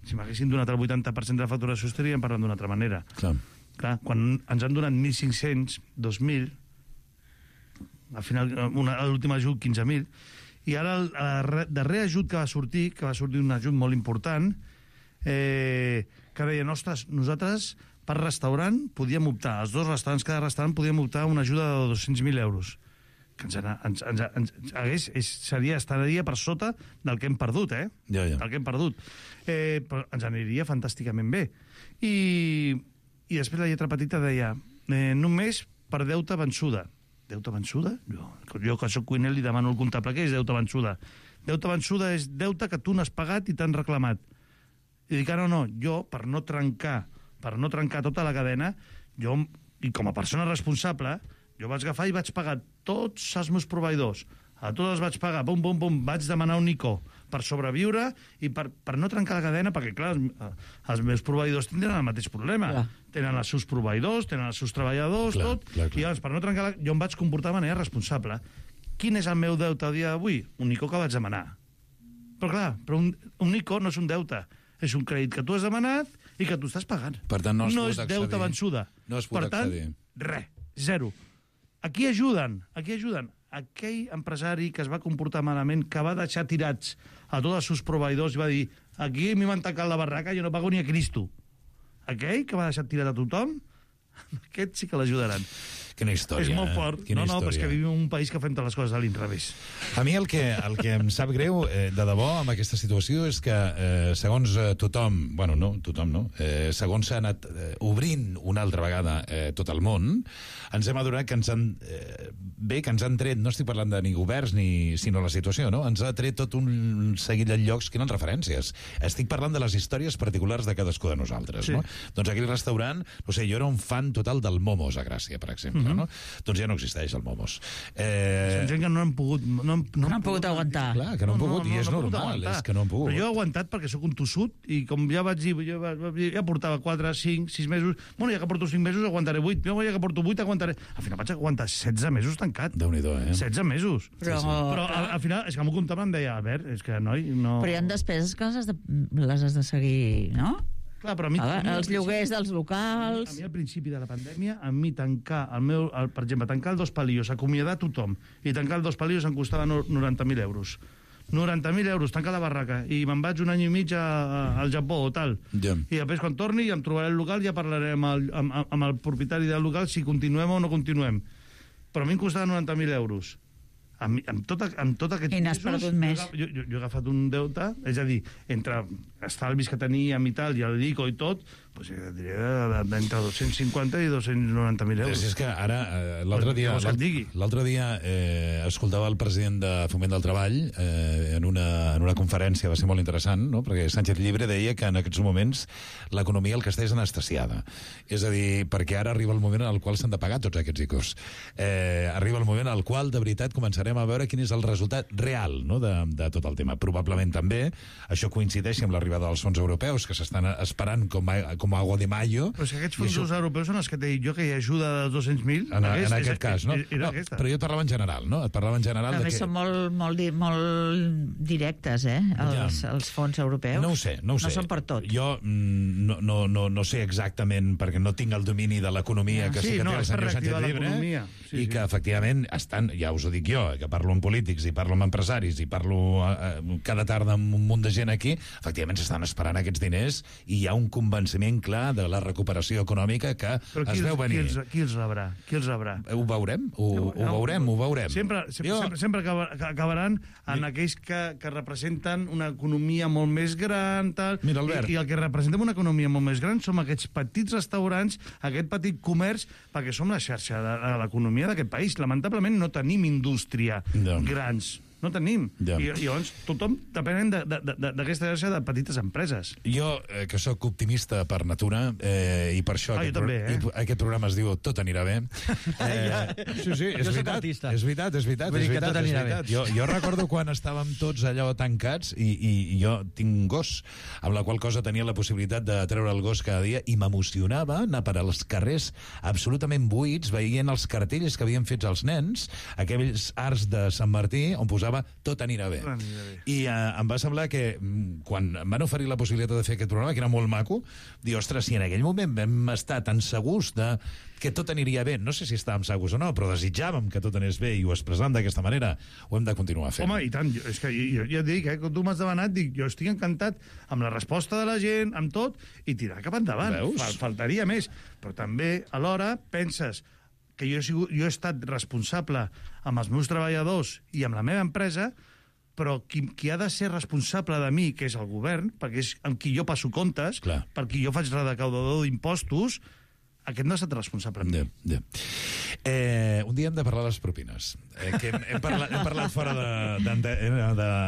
Si m'haguessin donat el vuitanta per cent de la facturació estaríem parlant d'una altra manera. Clar. Clar, quan ens han donat mil cinc-cents, dos mil, al final, l'últim ajut, quinze mil, i ara el, el darrer ajut que va sortir, que va sortir un ajut molt important, eh, que deien, ostres, nosaltres per restaurant podíem optar, els dos restaurants, cada restaurant podíem optar a una ajuda de dos-cents mil euros, que ens, ens, ens, ens, hagués, és, seria, estaria per sota del que hem perdut, eh? Ja, ja. Del que hem perdut. Eh, però ens aniria fantàsticament bé. I, i després la lletra petita deia, eh, només per deute vençuda. Deute vençuda? Jo, jo que soc cuiner li demano al comptable què és deute vençuda. Deute vençuda és deute que tu n'has pagat i t'han reclamat. I dic, ara no, jo, per no trencar, per no trencar tota la cadena, jo, i com a persona responsable, jo vaig agafar i vaig pagar tots els meus proveïdors. A tots els vaig pagar, pum, pum, pum, vaig demanar un Nico per sobreviure i per, per no trencar la cadena, perquè, clar, els, els meus proveïdors tindran el mateix problema. Clar. Tenen els seus proveïdors, tenen els seus treballadors, clar, tot, clar, clar. I llavors, per no trencar la... jo em vaig comportar de manera responsable. Quin és el meu deute al dia d'avui? Un Nico que vaig demanar. Però, clar, però un, un Nico no és un deute. És un crèdit que tu has demanat i que tu estàs pagant. Per tant, no, no és deute vençuda. No es pot per tant, accedir. Res, zero. Aquí ajuden, aquí ajuden. Aquell empresari que es va comportar malament, que va deixar tirats a tots els seus proveïdors i va dir, aquí m'hi van tancar la barraca, jo no pago ni a Cristo. Aquell que va deixar tirat a tothom, aquest sí que l'ajudaran. Quina història. És molt fort. Quina no, no, història. però és que vivim en un país que fem totes les coses a l'inrevés. A mi el que, el que em sap greu, eh, de debò, amb aquesta situació, és que, eh, segons eh, tothom, bueno, no, tothom no, eh, segons s'ha anat eh, obrint una altra vegada eh, tot el món, ens hem adonat que ens han... Eh, bé, que ens han tret, no estic parlant de ni governs, ni, sinó la situació, no? Ens ha tret tot un seguit de llocs que eren referències. Estic parlant de les històries particulars de cadascú de nosaltres, sí. No? Doncs aquell restaurant, no sé, jo era un fan total del Momos a Gràcia, per exemple, mm-hmm. no? Doncs ja no existeix el Momos. Eh... Són gent que no han pogut... No, no, no han pogut aguantar. Clar, que no han pogut, no, no, i és no normal, és que no han pogut. Però jo he aguantat perquè sóc un tossut, i com ja vaig dir, jo ja portava quatre, cinc, sis mesos, bueno, ja que porto cinc mesos aguantaré vuit, ja que porto vuit aguantaré... Al final vaig aguantar setze mesos tancat. Déu-n'hi-do, eh? setze mesos. Però, sí, sí. Però al, al final, és que m'ho comptava, em deia, Albert, és que, noi, no... Però hi ha despeses que les has de, les has de seguir, no? Clar, però a mi... A, a mi els lloguers dels locals... A mi, a mi al principi de la pandèmia, a mi tancar el meu... El, per exemple, tancar el Dos Palillos, acomiadar tothom, i tancar el Dos Palillos em costava noranta mil euros. noranta mil euros, tancar la barraca, i me'n vaig un any i mig a, a, al Japó o tal. Yeah. I després, quan torni, em trobaré el local, ja parlaré amb el, amb, amb el propietari del local si continuem o no continuem. Però a mi em costava noranta mil euros. amb, amb, tot, amb tot aquests I n'has pisos, perdut més. Jo, jo, jo he agafat un deute, és a dir, entre estalvis que teníem i tal, i el l'ICO i tot, doncs jo diria d'entre dos-cents cinquanta i dos-cents noranta mil euros. És que ara, eh, l'altre dia, l'altre dia eh, escoltava el president de Foment del Treball eh, en, una, en una conferència, va ser molt interessant, no? Perquè Sánchez Llibre deia que en aquests moments l'economia el que està és anestesiada. És a dir, perquè ara arriba el moment en el qual s'han de pagar tots aquests ICOs. Eh, arriba el moment en el qual, de veritat, començarem a veure quin és el resultat real, no? de, de tot el tema. Probablement també això coincideixi amb l'arribada dels fons europeus, que s'estan esperant com a, com a agua de mayo. Però si aquests fons això... europeus són els que t'he dit jo, que hi ha ajuda de dos-cents mil... En, en aquest és, cas, no? no però jo et parlava en general, no? Et parlava en general... També de que... són molt, molt, di molt directes, eh? Els, ja. els fons europeus. No ho sé, no ho sé. No són per tot. Jo mm, no, no, no, no sé exactament, perquè no tinc el domini de l'economia ja. que sí, sí que no, té el senyor Sánchez Llibre, sí, i que, sí. efectivament, estan, ja us ho dic jo, que parlo amb polítics i parlo amb empresaris i parlo eh, cada tarda amb un munt de gent aquí, efectivament s'estan esperant aquests diners i hi ha un convenciment clar de la recuperació econòmica que es veu venir. Qui els, qui els rebrà? Qui els rebrà? Ho veurem, ho, no, ho veurem, ho veurem. Sempre, sempre, jo... sempre, sempre acabaran en aquells que, que representen una economia molt més gran, tal, Mira, Albert. i, i el que representem una economia molt més gran som aquests petits restaurants, aquest petit comerç, perquè som la xarxa de, de l'economia d'aquest país. Lamentablement no tenim indústria no. grans. No tenim. Ja. I, I llavors tothom depèn d'aquesta xarxa de petites empreses. Jo, eh, que sóc optimista per natura, eh, i per això ah, aquest, també, eh? pro aquest programa es diu Tot anirà bé. Eh, sí, sí, és jo veritat, és veritat, és veritat. Vull és dir que veritat, tot és anirà veritat. bé. Jo, jo recordo quan estàvem tots allò tancats i, i, i jo tinc un gos, amb la qual cosa tenia la possibilitat de treure el gos cada dia i m'emocionava anar per als carrers absolutament buits, veient els cartells que havien fet els nens, aquells arcs de Sant Martí on posava Tot anirà bé. I eh, em va semblar que quan em van oferir la possibilitat de fer aquest programa, que era molt maco, dir, ostres, si en aquell moment vam estar tan segurs de que tot aniria bé, no sé si estàvem segurs o no, però desitjàvem que tot anés bé i ho expressàvem d'aquesta manera, ho hem de continuar fent. Home, i tant, jo, és que jo, jo et dic, eh, quan tu m'has demanat, dic, jo estic encantat amb la resposta de la gent, amb tot, i tirar cap endavant. Fal, faltaria més. Però també, alhora, penses que jo he, sigut, jo he estat responsable amb els meus treballadors i amb la meva empresa, però qui, qui ha de ser responsable de mi, que és el govern, perquè és amb qui jo passo comptes, Clar. per qui jo faig recaudador d'impostos, aquest no ha estat responsable amb mi. Ja, ja. Eh, un dia hem de parlar de les propines. Eh, que hem, hem, parlat, hem parlat fora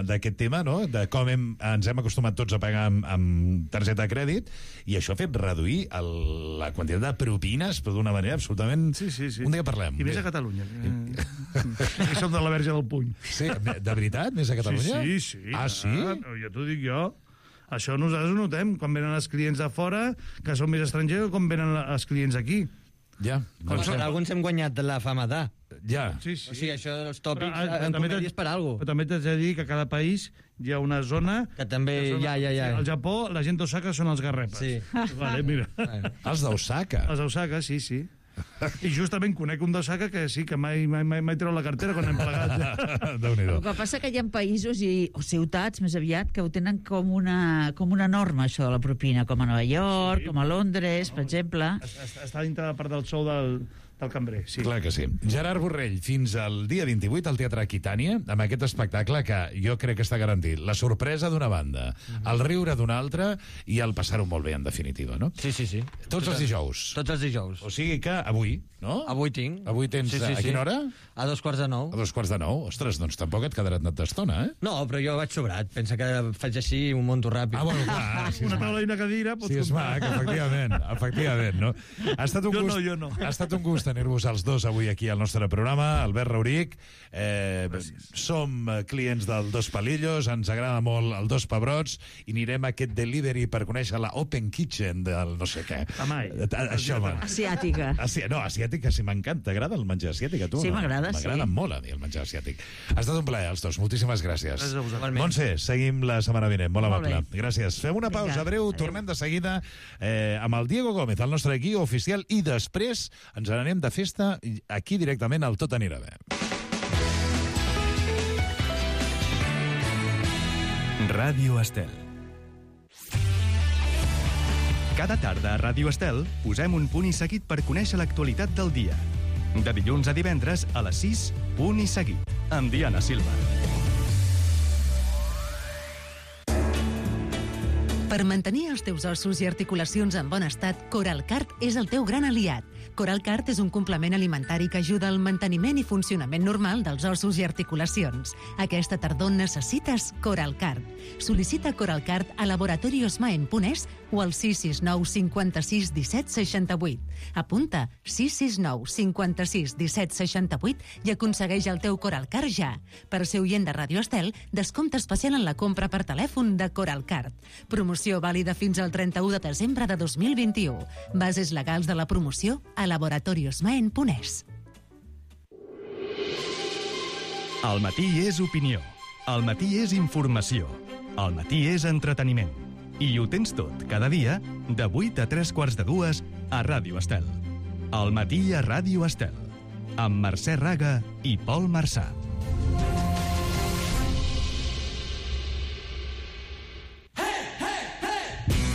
d'aquest tema, no? De com hem, ens hem acostumat tots a pagar amb, amb targeta de crèdit, i això ha fet reduir el, la quantitat de propines, però d'una manera absolutament... Sí, sí, sí. Un dia parlem. I més a Catalunya. Que som de la Verge del Puny. Sí, de veritat? Més a Catalunya? Sí, sí. sí ah, sí? Ah, ja t'ho dic jo. Això nosaltres ho notem, quan venen els clients de fora, que són més estrangers, com venen els clients aquí. Ja. Com doncs, alguns hem guanyat la fama d'A. Ja. Sí, sí. O sigui, això dels tòpics però, en comèdia és per alguna cosa. Però també t'haig de dir que a cada país hi ha una zona... Que també... Que ja, ja, ja. Al Japó, la gent d'Osaka són els garrepes. Sí. Vale, mira. Els d'Osaka? Els d'Osaka, sí, sí. I justament conec un d'Osaka que sí, que mai, mai, mai, mai treu la cartera quan hem plegat. El que passa que hi ha països i, o ciutats, més aviat, que ho tenen com una, com una norma, això de la propina, com a Nova York, sí. com a Londres, no, per exemple. Està dintre de part del sou del, del cambrer, sí. Clar que sí. Gerard Borrell, fins al dia vint-i-vuit al Teatre Aquitània, amb aquest espectacle que jo crec que està garantit. La sorpresa d'una banda, uh-huh. el riure d'una altra i el passar-ho molt bé, en definitiva, no? Sí, sí, sí. Tots els dijous. Tots els dijous. O sigui que avui, no? Avui tinc. Avui tens... Sí, sí, a quina hora? A dos quarts de nou. A dos quarts de nou? Ostres, doncs tampoc et quedarà d'estona, eh? No, però jo vaig sobrat. Pensa que faig així i un monto ràpid. Ah, bueno, clar. Si una taula i una cadira... Si és mac, efectivament. Efectivament, no? Ha estat un jo gust, no, jo no. Ha estat un gust tenir-vos els dos avui aquí al nostre programa. Albert Rauric, eh, som clients del Dos Palillos, ens agrada molt el Dos Pebrots i anirem a aquest delivery per conèixer la Open Kitchen del no sé què. Amai. Això, asiàtica. Asi no, asiàtica sí m'encanta. T'agrada el menjar asiàtic a tu? Sí, m'agrada, sí. M'agrada molt a mi el menjar asiàtic. Ha estat un plaer, els dos. Moltíssimes gràcies. Gràcies a vosaltres. Montse, seguim la setmana vinent. Molt Molt amable. bé. Gràcies. Fem una pausa Vinga, breu, adéu. tornem de seguida eh, amb el Diego Gómez, el nostre guia oficial, i després ens n'anem de festa aquí directament al Tot anirà bé. Ràdio Estel. Cada tarda a Ràdio Estel posem un punt i seguit per conèixer l'actualitat del dia. De dilluns a divendres a les sis, punt i seguit. amb Diana Silva. Per mantenir els teus ossos i articulacions en bon estat, Coralcart és el teu gran aliat. Coralcart és un complement alimentari que ajuda al manteniment i funcionament normal dels ossos i articulacions. Aquesta tardor necessites Coralcart. Sol·licita Coralcart a laboratoriosmaen.es o al sis sis nou cinquanta-sis disset seixanta-vuit. Apunta sis sis nou cinquanta-sis disset seixanta-vuit i aconsegueix el teu Coralcart ja. Per ser oient de Radio Estel, descompte especial en la compra per telèfon de Coralcart. Promoció vàlida fins al trenta-u de desembre de dos mil vint-i-u. Bases legals de la promoció a laboratoriosmaen.es. El matí és opinió. El matí és informació. El matí és entreteniment. I ho tens tot, cada dia, de vuit a tres quarts de dues, a Ràdio Estel. El matí a Ràdio Estel. Amb Mercè Raga i Pol Marçà.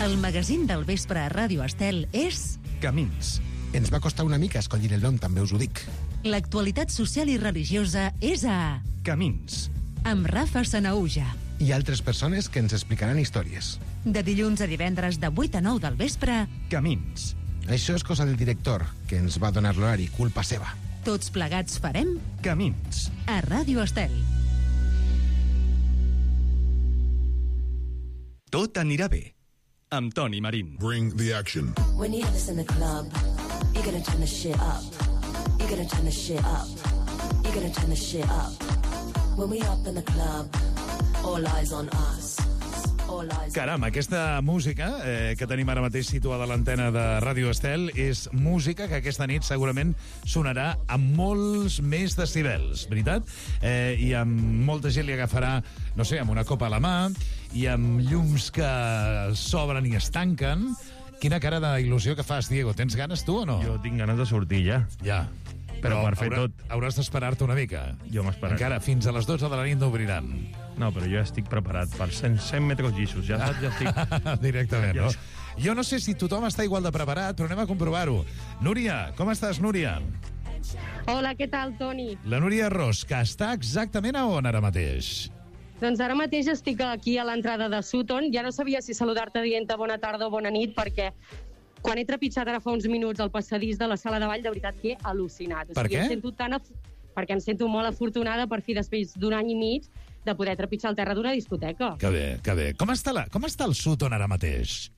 El magazín del vespre a Ràdio Estel és... Camins. Ens va costar una mica escollir el nom, també us ho dic. L'actualitat social i religiosa és a... Camins. Amb Rafa Sanaúja. I altres persones que ens explicaran històries. De dilluns a divendres de vuit a nou del vespre... Camins. Això és cosa del director, que ens va donar l'horari, culpa seva. Tots plegats farem... Camins. A Ràdio Estel. Tot anirà bé. Amb Toni Marín. Bring the action. When you have this in the club, you're gonna turn the shit up. You're gonna turn the shit up. You're gonna turn the shit up. When we up in the club, all eyes on us. Caram, aquesta música eh, que tenim ara mateix situada a l'antena de Ràdio Estel és música que aquesta nit segurament sonarà amb molts més decibels, veritat? Eh, I amb molta gent li agafarà, no sé, amb una copa a la mà i amb llums que s'obren i es tanquen. Quina cara d'il·lusió que fas, Diego. Tens ganes tu o no? Jo tinc ganes de sortir ja. Ja. Però, Però per fer haurà, tot... hauràs d'esperar-te una mica. Jo m'esperaré. Encara fins a les dotze de la nit no obriran. No, però jo ja estic preparat per cent, cent metres llissos. Ja, saps, ja estic... Directament, ja... no? Jo no sé si tothom està igual de preparat, però anem a comprovar-ho. Núria, com estàs, Núria? Hola, què tal, Toni? La Núria Ros, que està exactament a on ara mateix? Doncs ara mateix estic aquí a l'entrada de Sutton. Ja no sabia si saludar-te dient-te bona tarda o bona nit, perquè quan he trepitjat ara fa uns minuts al passadís de la sala de ball, de veritat que he al·lucinat. O sigui, per què? Em sento tan af... Perquè em sento molt afortunada per fi, després d'un any i mig, de poder trepitjar el terra d'una discoteca. Que bé, que bé. Com està, la... Com està el Sutton ara mateix?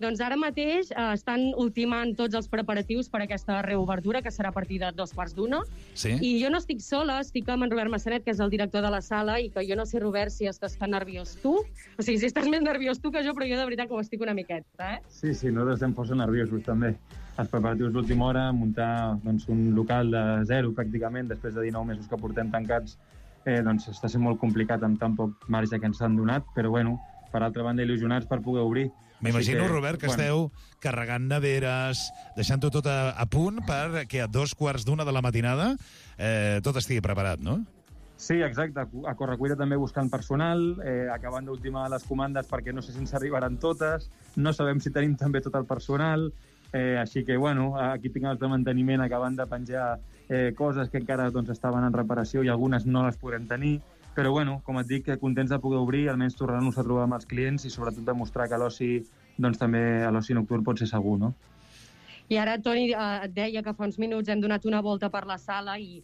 Doncs ara mateix eh, estan ultimant tots els preparatius per a aquesta reobertura, que serà a partir de dos quarts d'una. Sí? I jo no estic sola, estic amb en Robert Massanet, que és el director de la sala, i que jo no sé, Robert, si estàs tan nerviós tu. O sigui, si estàs més nerviós tu que jo, però jo de veritat que ho estic una miqueta, eh? Sí, sí, nosaltres estem força nerviosos, també. Els preparatius d'última hora, muntar doncs, un local de zero, pràcticament, després de dinou mesos que portem tancats, eh, doncs està sent molt complicat amb tan poc marge que ens han donat, però, bueno, per altra banda, il·lusionats per poder obrir. M'imagino, que, Robert, que bueno, esteu carregant neveres, deixant-ho tot a, a punt perquè a dos quarts d'una de la matinada eh, tot estigui preparat, no? Sí, exacte. A correcuita també buscant personal, eh, acabant d'ultimar les comandes perquè no sé si ens arribaran totes, no sabem si tenim també tot el personal, eh, així que, bueno, aquí tinc els de manteniment acabant de penjar eh, coses que encara doncs, estaven en reparació i algunes no les podrem tenir. Però, bueno, com et dic, contents de poder obrir, almenys tornar-nos a trobar amb els clients i sobretot demostrar que l'oci, doncs també l'oci nocturn pot ser segur, no? I ara, Toni, eh, et deia que fa uns minuts hem donat una volta per la sala i,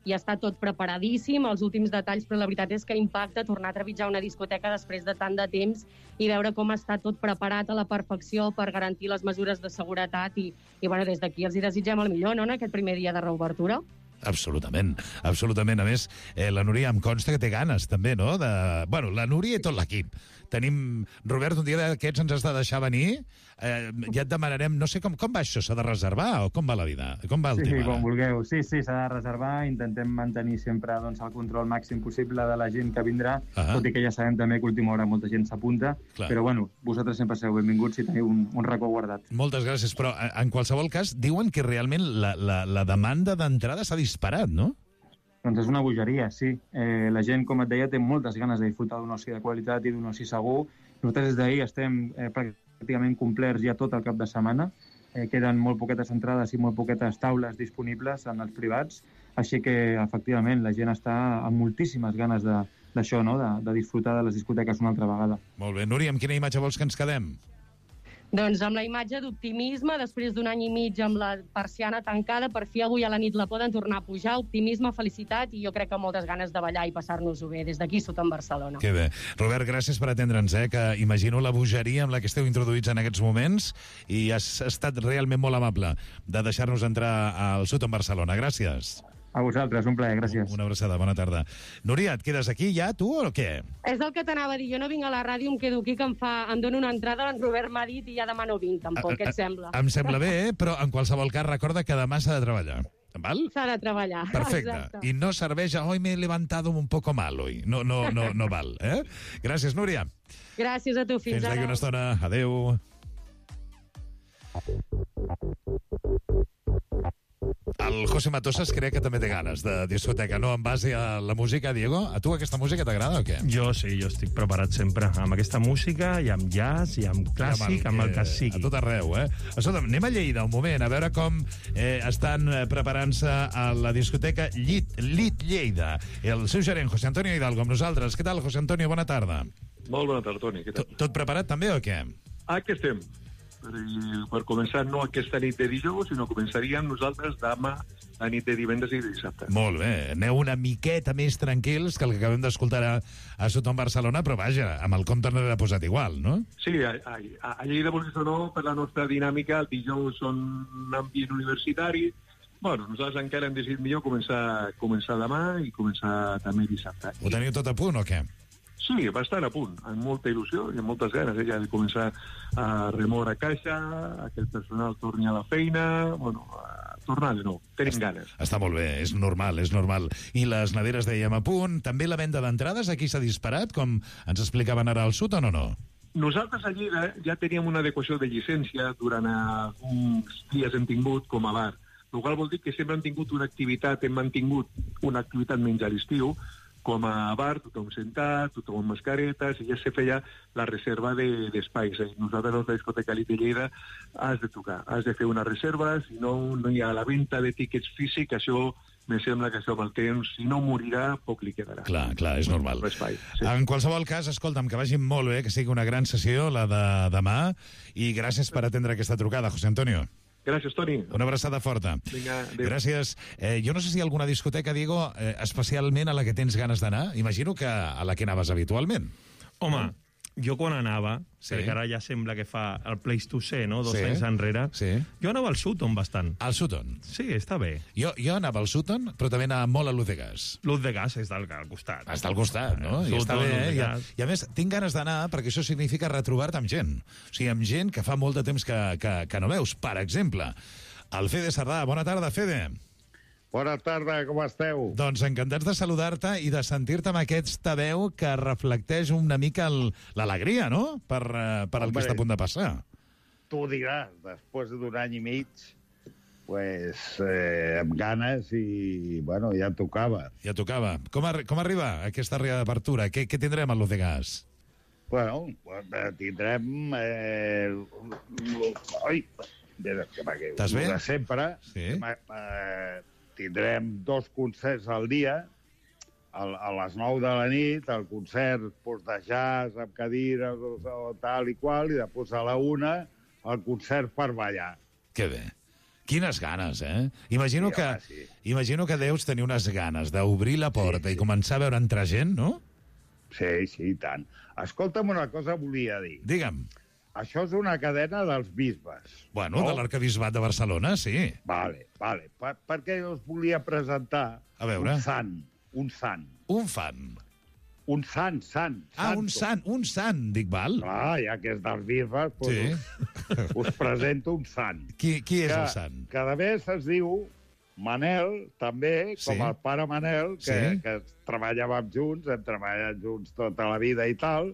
i està tot preparadíssim, els últims detalls, però la veritat és que impacta tornar a trepitjar una discoteca després de tant de temps i veure com està tot preparat a la perfecció per garantir les mesures de seguretat i, i bueno, des d'aquí els hi desitgem el millor, no?, en aquest primer dia de reobertura. Absolutament, absolutament. A més, eh, la Núria em consta que té ganes, també, no? De... Bueno, la Núria i tot l'equip. Tenim... Robert, un dia d'aquests ens has de deixar venir. Eh, ja et demanarem... No sé com, com va això, s'ha de reservar o com va la vida? Com va el sí, tema? Sí, com vulgueu. Sí, sí, s'ha de reservar. Intentem mantenir sempre doncs, el control màxim possible de la gent que vindrà, ah. tot i que ja sabem també que a última hora molta gent s'apunta. Però, bueno, vosaltres sempre sereu benvinguts si teniu un, un racó guardat. Moltes gràcies, però en qualsevol cas diuen que realment la, la, la demanda d'entrada s'ha disparat, no? Doncs és una bogeria, sí. Eh, la gent, com et deia, té moltes ganes de disfrutar d'un oci de qualitat i d'un oci segur. Nosaltres des d'ahir estem eh, pràcticament complerts ja tot el cap de setmana. Eh, queden molt poquetes entrades i molt poquetes taules disponibles en els privats. Així que, efectivament, la gent està amb moltíssimes ganes de, d'això, no? de, de disfrutar de les discoteques una altra vegada. Molt bé. Núria, amb quina imatge vols que ens quedem? Doncs amb la imatge d'optimisme, després d'un any i mig amb la persiana tancada, per fi avui a la nit la poden tornar a pujar, optimisme, felicitat i jo crec que moltes ganes de ballar i passar-nos-ho bé des d'aquí sota en Barcelona. Que bé. Robert, gràcies per atendre'ns, eh? que imagino la bogeria amb la que esteu introduïts en aquests moments i has estat realment molt amable de deixar-nos entrar al sud en Barcelona. Gràcies. A vosaltres, un plaer, gràcies. Una abraçada, bona tarda. Núria, et quedes aquí ja, tu, o què? És el que t'anava a dir, jo no vinc a la ràdio, em quedo aquí, que em, fa, em dono una entrada, en Robert m'ha dit i ja demà no vinc, tampoc, què et sembla? Em sembla bé, eh? Però en qualsevol cas recorda que demà s'ha de treballar. Val? S'ha de treballar. Perfecte. Exacte. I no serveix a hoy me he levantado un poco mal hoy. No, no, no, no val, eh? Gràcies, Núria. Gràcies a tu, fins, fins ara. Fins d'aquí una estona. Adéu. El José Matosas crec que també té ganes de discoteca, no? En base a la música, Diego, a tu aquesta música t'agrada o què? Jo sí, jo estic preparat sempre amb aquesta música, i amb jazz, i amb clàssic, amb el que sigui. A tot arreu, eh? Escolta, anem a Lleida un moment, a veure com eh, estan preparant-se a la discoteca Llit, Lit Lleida. El seu gerent, José Antonio Hidalgo, amb nosaltres. Què tal, José Antonio? Bona tarda. Molt bona tarda, Toni. Què tal? Tot, tot preparat també o què? Aquí estem. Per, per començar, no aquesta nit de dijous, sinó començaríem nosaltres demà a nit de divendres i de dissabte. Molt bé. Aneu una miqueta més tranquils que el que acabem d'escoltar a, a Soton Barcelona, però vaja, amb el compte no l'ha posat igual, no? Sí, a, a, a Lleida, vulguis o no, per la nostra dinàmica, el dijous són un ambient universitari. Bueno, nosaltres encara hem decidit millor començar, començar demà i començar també dissabte. Ho teniu tot a punt o què? Sí, bastant a punt, amb molta il·lusió i amb moltes ganes, eh, ja de començar a remoure caixa, a que el personal torni a la feina, bueno, a tornar de nou, tenim ganes. Està molt bé, és normal, és normal. I les neveres dèiem a punt, també la venda d'entrades aquí s'ha disparat, com ens explicaven ara al sud o no, no? Nosaltres a Lleida ja teníem una adequació de llicència durant uns dies hem tingut com a bar, el qual vol dir que sempre hem tingut una activitat, hem mantingut una activitat menys a l'estiu, com a bar, tothom sentat, tothom amb mascaretes, i ja se feia la reserva d'espais. De, Nosaltres, a la discoteca Lit de Lleida, has de trucar, has de fer una reserva, si no, no hi ha la venda de tíquets físic, això me sembla que això amb el temps, si no morirà, poc li quedarà. Clar, clar, és normal. Espai, sí. En qualsevol cas, escolta'm, que vagin molt bé, que sigui una gran sessió, la de demà, i gràcies per atendre aquesta trucada, José Antonio. Gràcies, Toni. Una abraçada forta. Vinga, adéu. Gràcies. Eh, jo no sé si hi ha alguna discoteca, Diego, eh, especialment a la que tens ganes d'anar. Imagino que a la que anaves habitualment. Home, jo quan anava, sí. perquè ara ja sembla que fa el Place to Ser, no?, dos sí. anys enrere, sí. jo anava al Sutton bastant. Al Sutton? Sí, està bé. Jo, jo anava al Sutton, però també anava molt a Luz de Gas. Luz de Gas és al, al costat. Està al costat, no? I està bé, eh? I, a, I a més, tinc ganes d'anar perquè això significa retrobar-te amb gent. O sigui, amb gent que fa molt de temps que, que, que no veus. Per exemple, el Fede Sardà. Bona tarda, Fede. Bona tarda, com esteu? Doncs encantats de saludar-te i de sentir-te amb aquesta veu que reflecteix una mica l'alegria, no?, per, per el que està a punt de passar. Tu diràs, després d'un any i mig, pues, eh, amb ganes i, bueno, ja tocava. Ja tocava. Com, ar com arriba aquesta reapertura? Què, què tindrem a Luz de Gas? Bueno, tindrem... Eh... Ai, Estàs bé? De sempre. Sí. Eh, tindrem dos concerts al dia, a, a les nou de la nit, el concert pues, de jazz amb cadires o, o tal i qual, i després a la una el concert per ballar. Que bé. Quines ganes, eh? Imagino, sí, que, home, sí. imagino que deus tenir unes ganes d'obrir la porta sí, sí. i començar a veure entrar gent, no? Sí, sí, i tant. Escolta'm, una cosa volia dir. Digue'm. Això és una cadena dels bisbes. Bueno, no? De l'Arquebisbat de Barcelona, sí. Vale, vale. Per, perquè us volia presentar a veure. un sant. Un sant. Un fan. Un sant, sant. Ah, santo. un sant, un sant, dic, val? Ah, ja que és dels bisbes, doncs sí. us, us presento un sant. Qui, qui és que, el sant? Cada vegada es diu Manel, també, com sí. el pare Manel, que, sí. que treballàvem junts, hem treballat junts tota la vida i tal,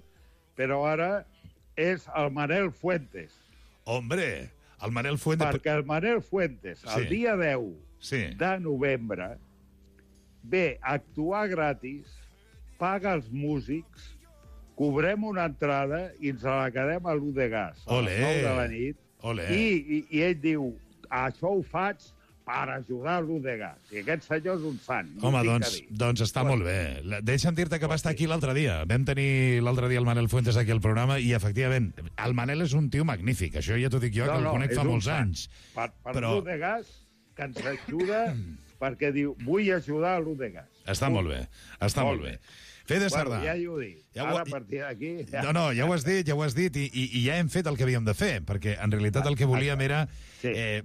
però ara és el Manel Fuentes. Hombre, el Manel Fuentes... Perquè el Manel Fuentes, sí. el dia deu sí. de novembre, ve a actuar gratis, paga els músics, cobrem una entrada i ens la quedem a Luz de Gas a les nou de la nit. Olé. I, i, I ell diu, això ho faig per ajudar l'U de Gas. I aquest senyor és un sant. No Home, tinc doncs, que dir. doncs està molt bé. La- Deixa'm dir-te que va estar aquí l'altre dia. Vam tenir l'altre dia el Manel Fuentes aquí al programa i, efectivament, el Manel és un tio magnífic. Això ja t'ho dic jo, que el conec és fa un molts sant. anys. Per, per Però- l'U de Gas, que ens ajuda perquè diu, vull ajudar l'U de Gas. Està molt bé, està molt, bé. Fede Sardà. Bueno, ja ho dic. Ja Ara, ho- a partir d'aquí... Ja... No, no, ja ho has dit, ja ho has dit, i, i, i ja hem fet el que havíem de fer, perquè en realitat el que volíem era eh,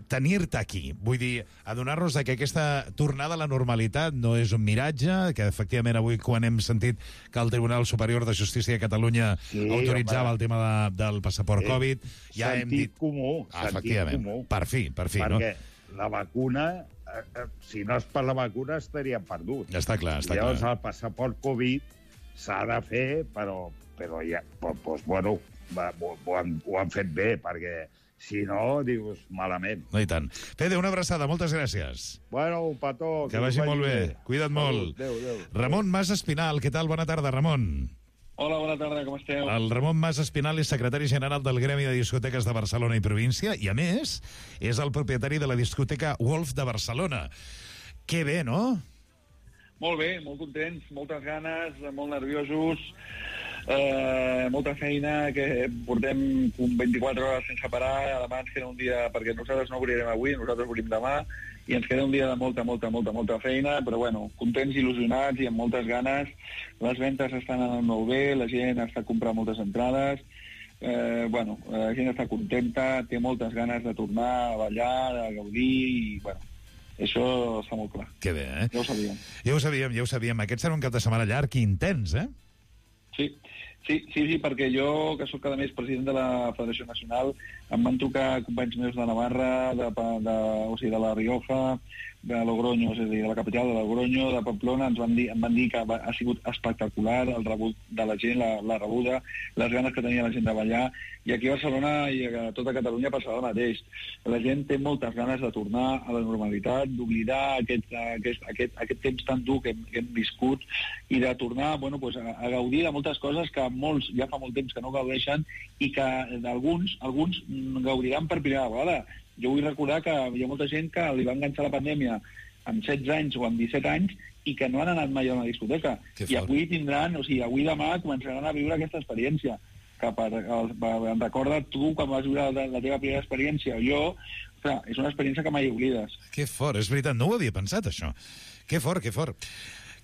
tenir-te aquí. Vull dir, adonar-nos que aquesta tornada a la normalitat no és un miratge, que efectivament avui quan hem sentit que el Tribunal Superior de Justícia de Catalunya Sí, autoritzava home. el tema de, del passaport Sí. Covid, ja hem Sentit dit... comú, Ah, sentit efectivament, comú. per fi, per fi, Perquè no? la vacuna, eh, eh, si no és per la vacuna, estaríem perduts. Està clar, està Llavors, clar. el passaport Covid s'ha de fer, però, però ja, doncs, pues, bueno, va, ho, ho, han, ho han fet bé, perquè si no, dius, malament. No, i tant. Fede, una abraçada, moltes gràcies. Bueno, un petó. Que vagi molt bé. Cuida't molt. Adéu, adéu. Ramon Mas Espinal, què tal? Bona tarda, Ramon. Hola, bona tarda, com esteu? El Ramon Mas Espinal és secretari general del Gremi de Discoteques de Barcelona i Província i, a més, és el propietari de la discoteca Wolf de Barcelona. Que bé, no? Molt bé, molt contents, moltes ganes, molt nerviosos, eh, molta feina, que portem vint-i-quatre hores sense parar, demà ens queda un dia, perquè nosaltres no obrirem avui, nosaltres obrim demà, i ens queda un dia de molta, molta, molta, molta feina, però bueno, contents, il·lusionats i amb moltes ganes. Les ventes estan anant molt bé, la gent està comprant moltes entrades, eh, bueno, la gent està contenta, té moltes ganes de tornar a ballar, a gaudir, i bueno, això està molt clar. Que bé, eh? Ja ho sabíem. Ja ho sabíem, ja ho sabíem. Aquest serà un cap de setmana llarg i intens, eh? Sí, sí, sí, sí, perquè jo, que sóc cada mes president de la Federació Nacional, em van trucar companys meus de Navarra, de, de, o sigui, de la Rioja, de Logroño, és a dir, de la capital de Logroño, de Pamplona, ens van dir, em van dir que va, ha sigut espectacular el rebut de la gent, la, la rebuda, les ganes que tenia la gent de ballar, i aquí a Barcelona i a tota Catalunya passarà el mateix. La gent té moltes ganes de tornar a la normalitat, d'oblidar aquest, aquest, aquest, aquest temps tan dur que hem, que hem viscut i de tornar bueno, pues, a, a gaudir de moltes coses que molts ja fa molt temps que no gaudeixen i que alguns, alguns gaudiran per primera vegada. Jo vull recordar que hi ha molta gent que li va enganxar la pandèmia amb setze anys o amb disset anys i que no han anat mai a una discoteca. I avui tindran, o sigui, avui demà començaran a viure aquesta experiència. Que per, per, em recorda tu quan vas viure la, la teva primera experiència o jo, clar, és una experiència que mai oblides. Que fort, és veritat, no ho havia pensat, això. Que fort, que fort.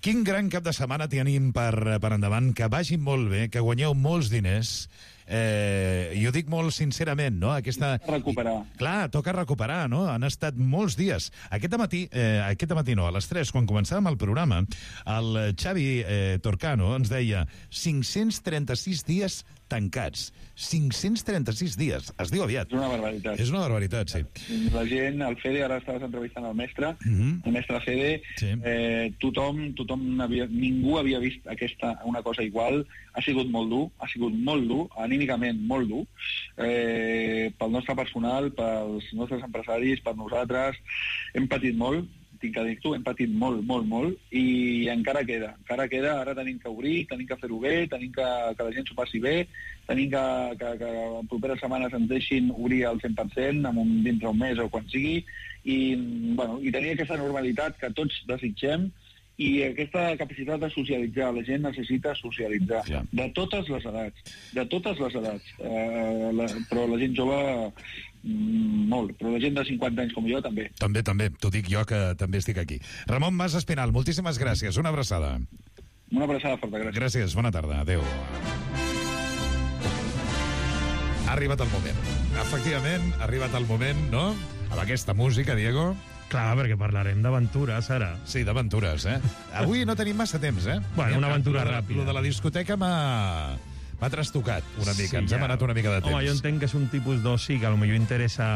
Quin gran cap de setmana tenim per, per endavant, que vagi molt bé, que guanyeu molts diners. Eh, jo dic molt sincerament, no? Aquesta... Recuperar. Clar, toca recuperar, no? Han estat molts dies. Aquest matí, eh, aquest matí no, a les tres, quan començàvem el programa, el Xavi eh, Torcano ens deia cinc-cents trenta-sis dies tancats. cinc-cents trenta-sis dies. Es diu aviat. És una barbaritat. És una barbaritat, sí. La gent, el Fede, ara estaves entrevistant el mestre, Mm-hmm. el mestre Fede, Sí. eh, tothom, tothom havia, ningú havia vist aquesta, una cosa igual. Ha sigut molt dur, ha sigut molt dur, anímicament molt dur, eh, pel nostre personal, pels nostres empresaris, per nosaltres. Hem patit molt, tinc que dir-t'ho, hem patit molt, molt, molt, i encara queda, encara queda, ara tenim que obrir, tenim que fer-ho bé, tenim que, que la gent s'ho passi bé, tenim que, que, que en properes setmanes ens deixin obrir al cent per cent, amb un, dintre un mes o quan sigui, i, bueno, i tenir aquesta normalitat que tots desitgem, i aquesta capacitat de socialitzar. La gent necessita socialitzar, ja. De totes les edats, de totes les edats, eh, la, però la gent jove mm, molt, però la gent de cinquanta anys com jo també. També, també, t'ho dic jo que també estic aquí. Ramon Mas Espinal, moltíssimes gràcies, una abraçada. Una abraçada forta, gràcies. Gràcies, bona tarda, adeu. Ha arribat el moment. Efectivament, ha arribat el moment, no? Amb aquesta música, Diego... Clar, perquè parlarem d'aventures, ara. Sí, d'aventures, eh? Avui no tenim massa temps, eh? Bueno, una aventura Lo de- ràpida. Lo de la discoteca m'ha... m'ha trastocat una mica, ens hem anat una mica de temps. Home, jo entenc que és un tipus d'oci que potser interessa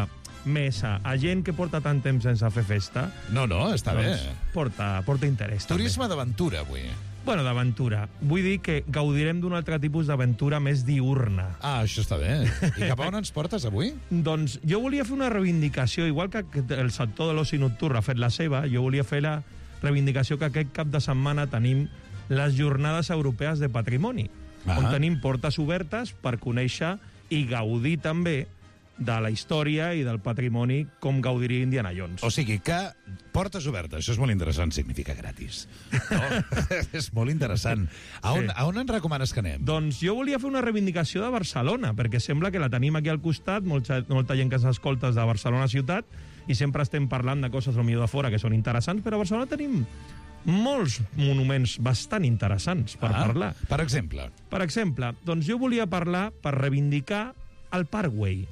més a, a gent que porta tant temps sense fer festa. No, no, està doncs bé. Porta, porta interès. Turisme d'aventura, avui. Bueno, d'aventura. Vull dir que gaudirem d'un altre tipus d'aventura més diurna. Ah, això està bé. I cap a on ens portes avui? Doncs jo volia fer una reivindicació, igual que el sector de l'oci nocturn ha fet la seva, jo volia fer la reivindicació que aquest cap de setmana tenim les Jornades Europees de Patrimoni, Ah. on tenim portes obertes per conèixer i gaudir també de la història i del patrimoni com gaudiria Indiana Jones. O sigui que portes obertes, això és molt interessant, significa gratis. No? És molt interessant. A on, Sí. a on ens recomanes que anem? Doncs jo volia fer una reivindicació de Barcelona, perquè sembla que la tenim aquí al costat, molta, molta gent que s'escolta de Barcelona ciutat, i sempre estem parlant de coses potser de fora que són interessants, però a Barcelona tenim molts monuments bastant interessants per Ah, parlar. Per exemple? Per exemple, doncs jo volia parlar per reivindicar el Parkway.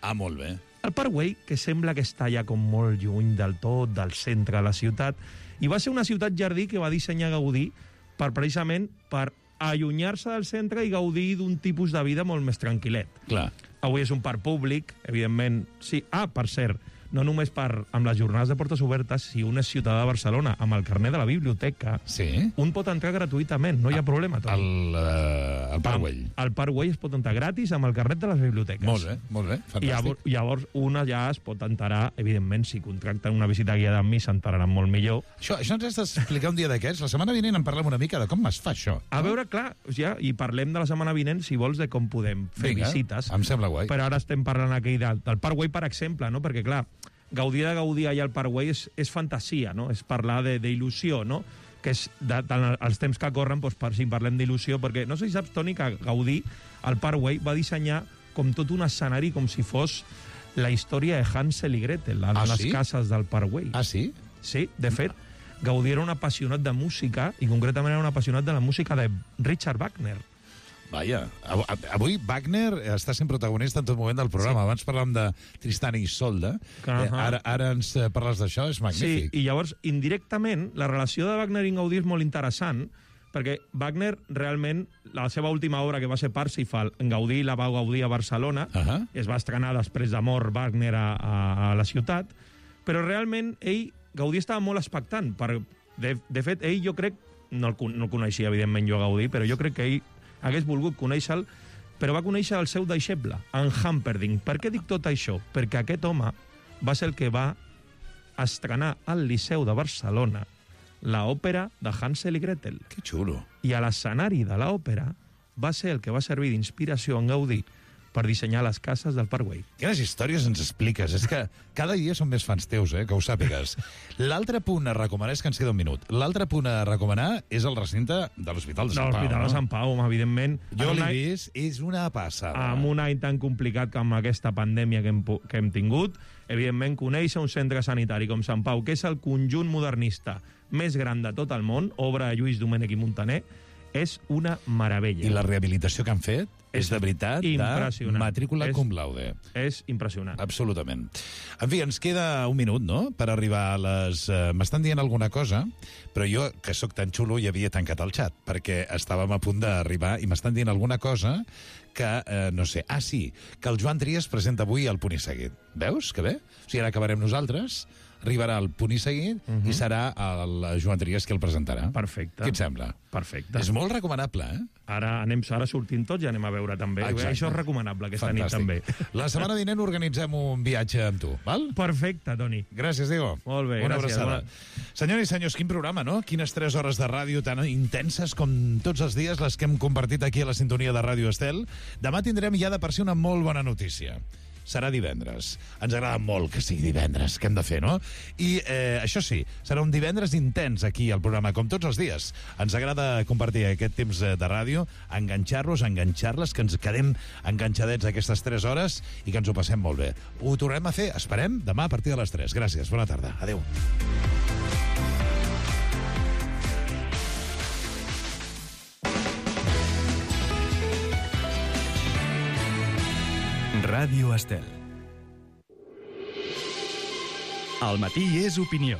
Ah, molt bé. El Parkway, que sembla que està ja com molt lluny del tot, del centre de la ciutat, i va ser una ciutat jardí que va dissenyar Gaudí per precisament per allunyar-se del centre i gaudir d'un tipus de vida molt més tranquil·let. Clar. Avui és un parc públic, evidentment. Sí, ah, per cert, no només per, amb les jornades de portes obertes, si un és ciutadà de Barcelona amb el carnet de la biblioteca, sí. un pot entrar gratuïtament, no hi ha problema. El, uh, el Parkway. Al Parkway es pot entrar gratis amb el carnet de les biblioteques. Molt bé, molt bé, fantàstic. I llavors, llavors una ja es pot enterar, evidentment, si contracten una visita guiada amb mi, s'enteraran molt millor. Això, això ens has d'explicar un dia d'aquests. La setmana vinent en parlem una mica de com es fa això. A veure, clar, ja, i parlem de la setmana vinent, si vols, de com podem fer Vinga, visites. em sembla guai. Però ara estem parlant aquí del, del Parkway, per exemple, no? Perquè, clar, gaudir de gaudir allà al Parkway és, és fantasia, no? És parlar d'il·lusió, no? Que és, de, de, els temps que corren, doncs, per si parlem d'il·lusió, perquè no sé si saps, Toni, que Gaudí, al Parkway, va dissenyar com tot un escenari, com si fos la història de Hansel i Gretel, a Ah, les sí? cases del Parkway. Ah, sí? Sí, de fet, Gaudí era un apassionat de música, i concretament era un apassionat de la música de Richard Wagner. Vaja, av- avui Wagner està sent protagonista en tot moment del programa. Sí. Abans parlàvem de Tristan i Isolde. Ahà. Eh, ara, ara ens eh, parles d'això, és Sí, magnífic. i llavors, indirectament, la relació de Wagner i Gaudí és molt interessant, perquè Wagner, realment, la seva última obra, que va ser Parsifal, Gaudí la va gaudir a Barcelona, uh -huh. es va estrenar després de mort Wagner a, a, a la ciutat, però realment ell, Gaudí estava molt expectant. Per, de, de fet, ell, jo crec, no el, con- no el coneixia, evidentment, jo a Gaudí, però jo crec que ell hagués volgut conèixer-lo, però va conèixer el seu deixeble, en Humperdinck. Per què dic tot això? Perquè aquest home va ser el que va estrenar al Liceu de Barcelona l'òpera de Hansel i Gretel. Que xulo. I a l'escenari de l'òpera va ser el que va servir d'inspiració en Gaudí per dissenyar les cases del Parkway. Quines històries ens expliques? És que cada dia són més fans teus, eh? Que ho sàpigues. L'altre punt a recomanar, és que ens queda un minut, l'altre punt a recomanar és el recinte de l'Hospital de De Sant Pau. l'Hospital de Sant Pau, home, evidentment. Jo En un l'he any- vist, és una passada. Amb un any tan complicat com aquesta pandèmia que hem, pu- que hem tingut, evidentment, conèixer un centre sanitari com Sant Pau, que és el conjunt modernista més gran de tot el món, obra de Lluís Domènech i Montaner, és una meravella. I la rehabilitació que han fet és, de veritat, de impressionant. matrícula És- cum laude. És impressionant. Absolutament. En fi, ens queda un minut, no?, per arribar a les... Uh, M'estan dient alguna cosa, però jo, que sóc tan xulo, ja havia tancat el xat, perquè estàvem a punt d'arribar i m'estan dient alguna cosa que, eh, no sé... Ah, sí, que el Joan Trias presenta avui el Punt i Seguit. Veus? Que bé? O sigui, ara acabarem nosaltres, arribarà el Punt i Seguit uh -huh. i serà el Joan Trias qui el presentarà. Perfecte. Què et sembla? Perfecte. És molt recomanable, eh? Ara, anem, ara sortim tots i anem a veure també. Exacte. Això és recomanable aquesta Fantàstic. nit també. La setmana vinent organitzem un viatge amb tu, val? Perfecte, Toni. Gràcies, Diego. Molt bé, Una gràcies. abraçada. Senyores i senyors, quin programa, no? Quines tres hores de ràdio tan intenses com tots els dies les que hem compartit aquí a la sintonia de Ràdio Estel. Demà tindrem ja de per si una molt bona notícia. Serà divendres. Ens agrada molt que sigui divendres, que hem de fer, no? I eh, això sí, serà un divendres intens aquí al programa, com tots els dies. Ens agrada compartir aquest temps de ràdio, enganxar-los, enganxar-les, que ens quedem enganxadets aquestes tres hores i que ens ho passem molt bé. Ho tornem a fer, esperem, demà a partir de les tres. Gràcies, bona tarda. Adéu. Ràdio Estel. El matí és opinió.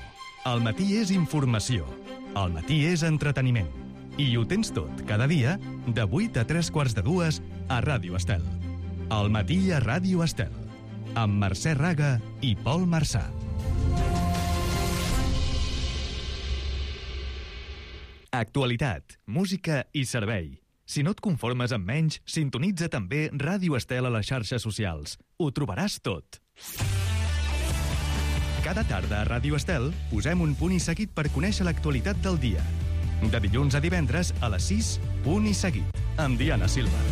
El matí és informació. El matí és entreteniment. I ho tens tot, cada dia, de vuit a tres quarts de dues, a Ràdio Estel. El matí a Ràdio Estel. Amb Mercè Raga i Pol Marçà. Actualitat, música i servei. Si no et conformes amb menys, sintonitza també Ràdio Estel a les xarxes socials. Ho trobaràs tot. Cada tarda a Ràdio Estel posem un punt i seguit per conèixer l'actualitat del dia. De dilluns a divendres a les sis, punt i seguit, amb Diana Silva.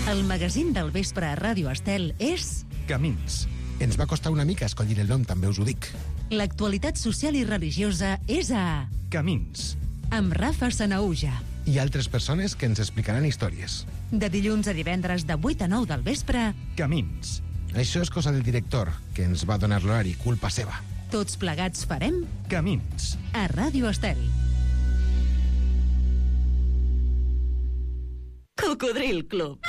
El magazín del vespre a Ràdio Estel és... Camins. Ens va costar una mica escollir el nom, també us ho dic. L'actualitat social i religiosa és a... Camins. Amb Rafa Sanaúja. I altres persones que ens explicaran històries. De dilluns a divendres de vuit a nou del vespre... Camins. Això és cosa del director, que ens va donar l'horari, culpa seva. Tots plegats farem... Camins. A Ràdio Estel. Cocodril Club.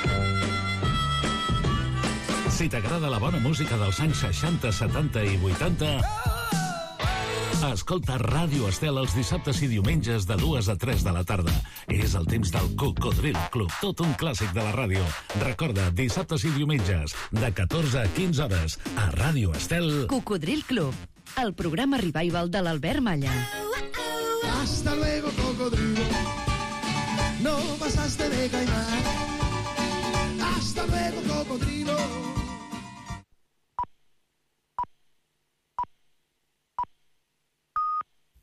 Si t'agrada la bona música dels anys seixanta, setanta i vuitanta, escolta Ràdio Estel els dissabtes i diumenges de dues a tres de la tarda. És el temps del Cocodril Club, tot un clàssic de la ràdio. Recorda, dissabtes i diumenges, de catorze a quinze hores, a Ràdio Estel. Cocodril Club, el programa revival de l'Albert Malla. Hasta luego, cocodrilo. No pasaste de caimán. Hasta luego, cocodrilo.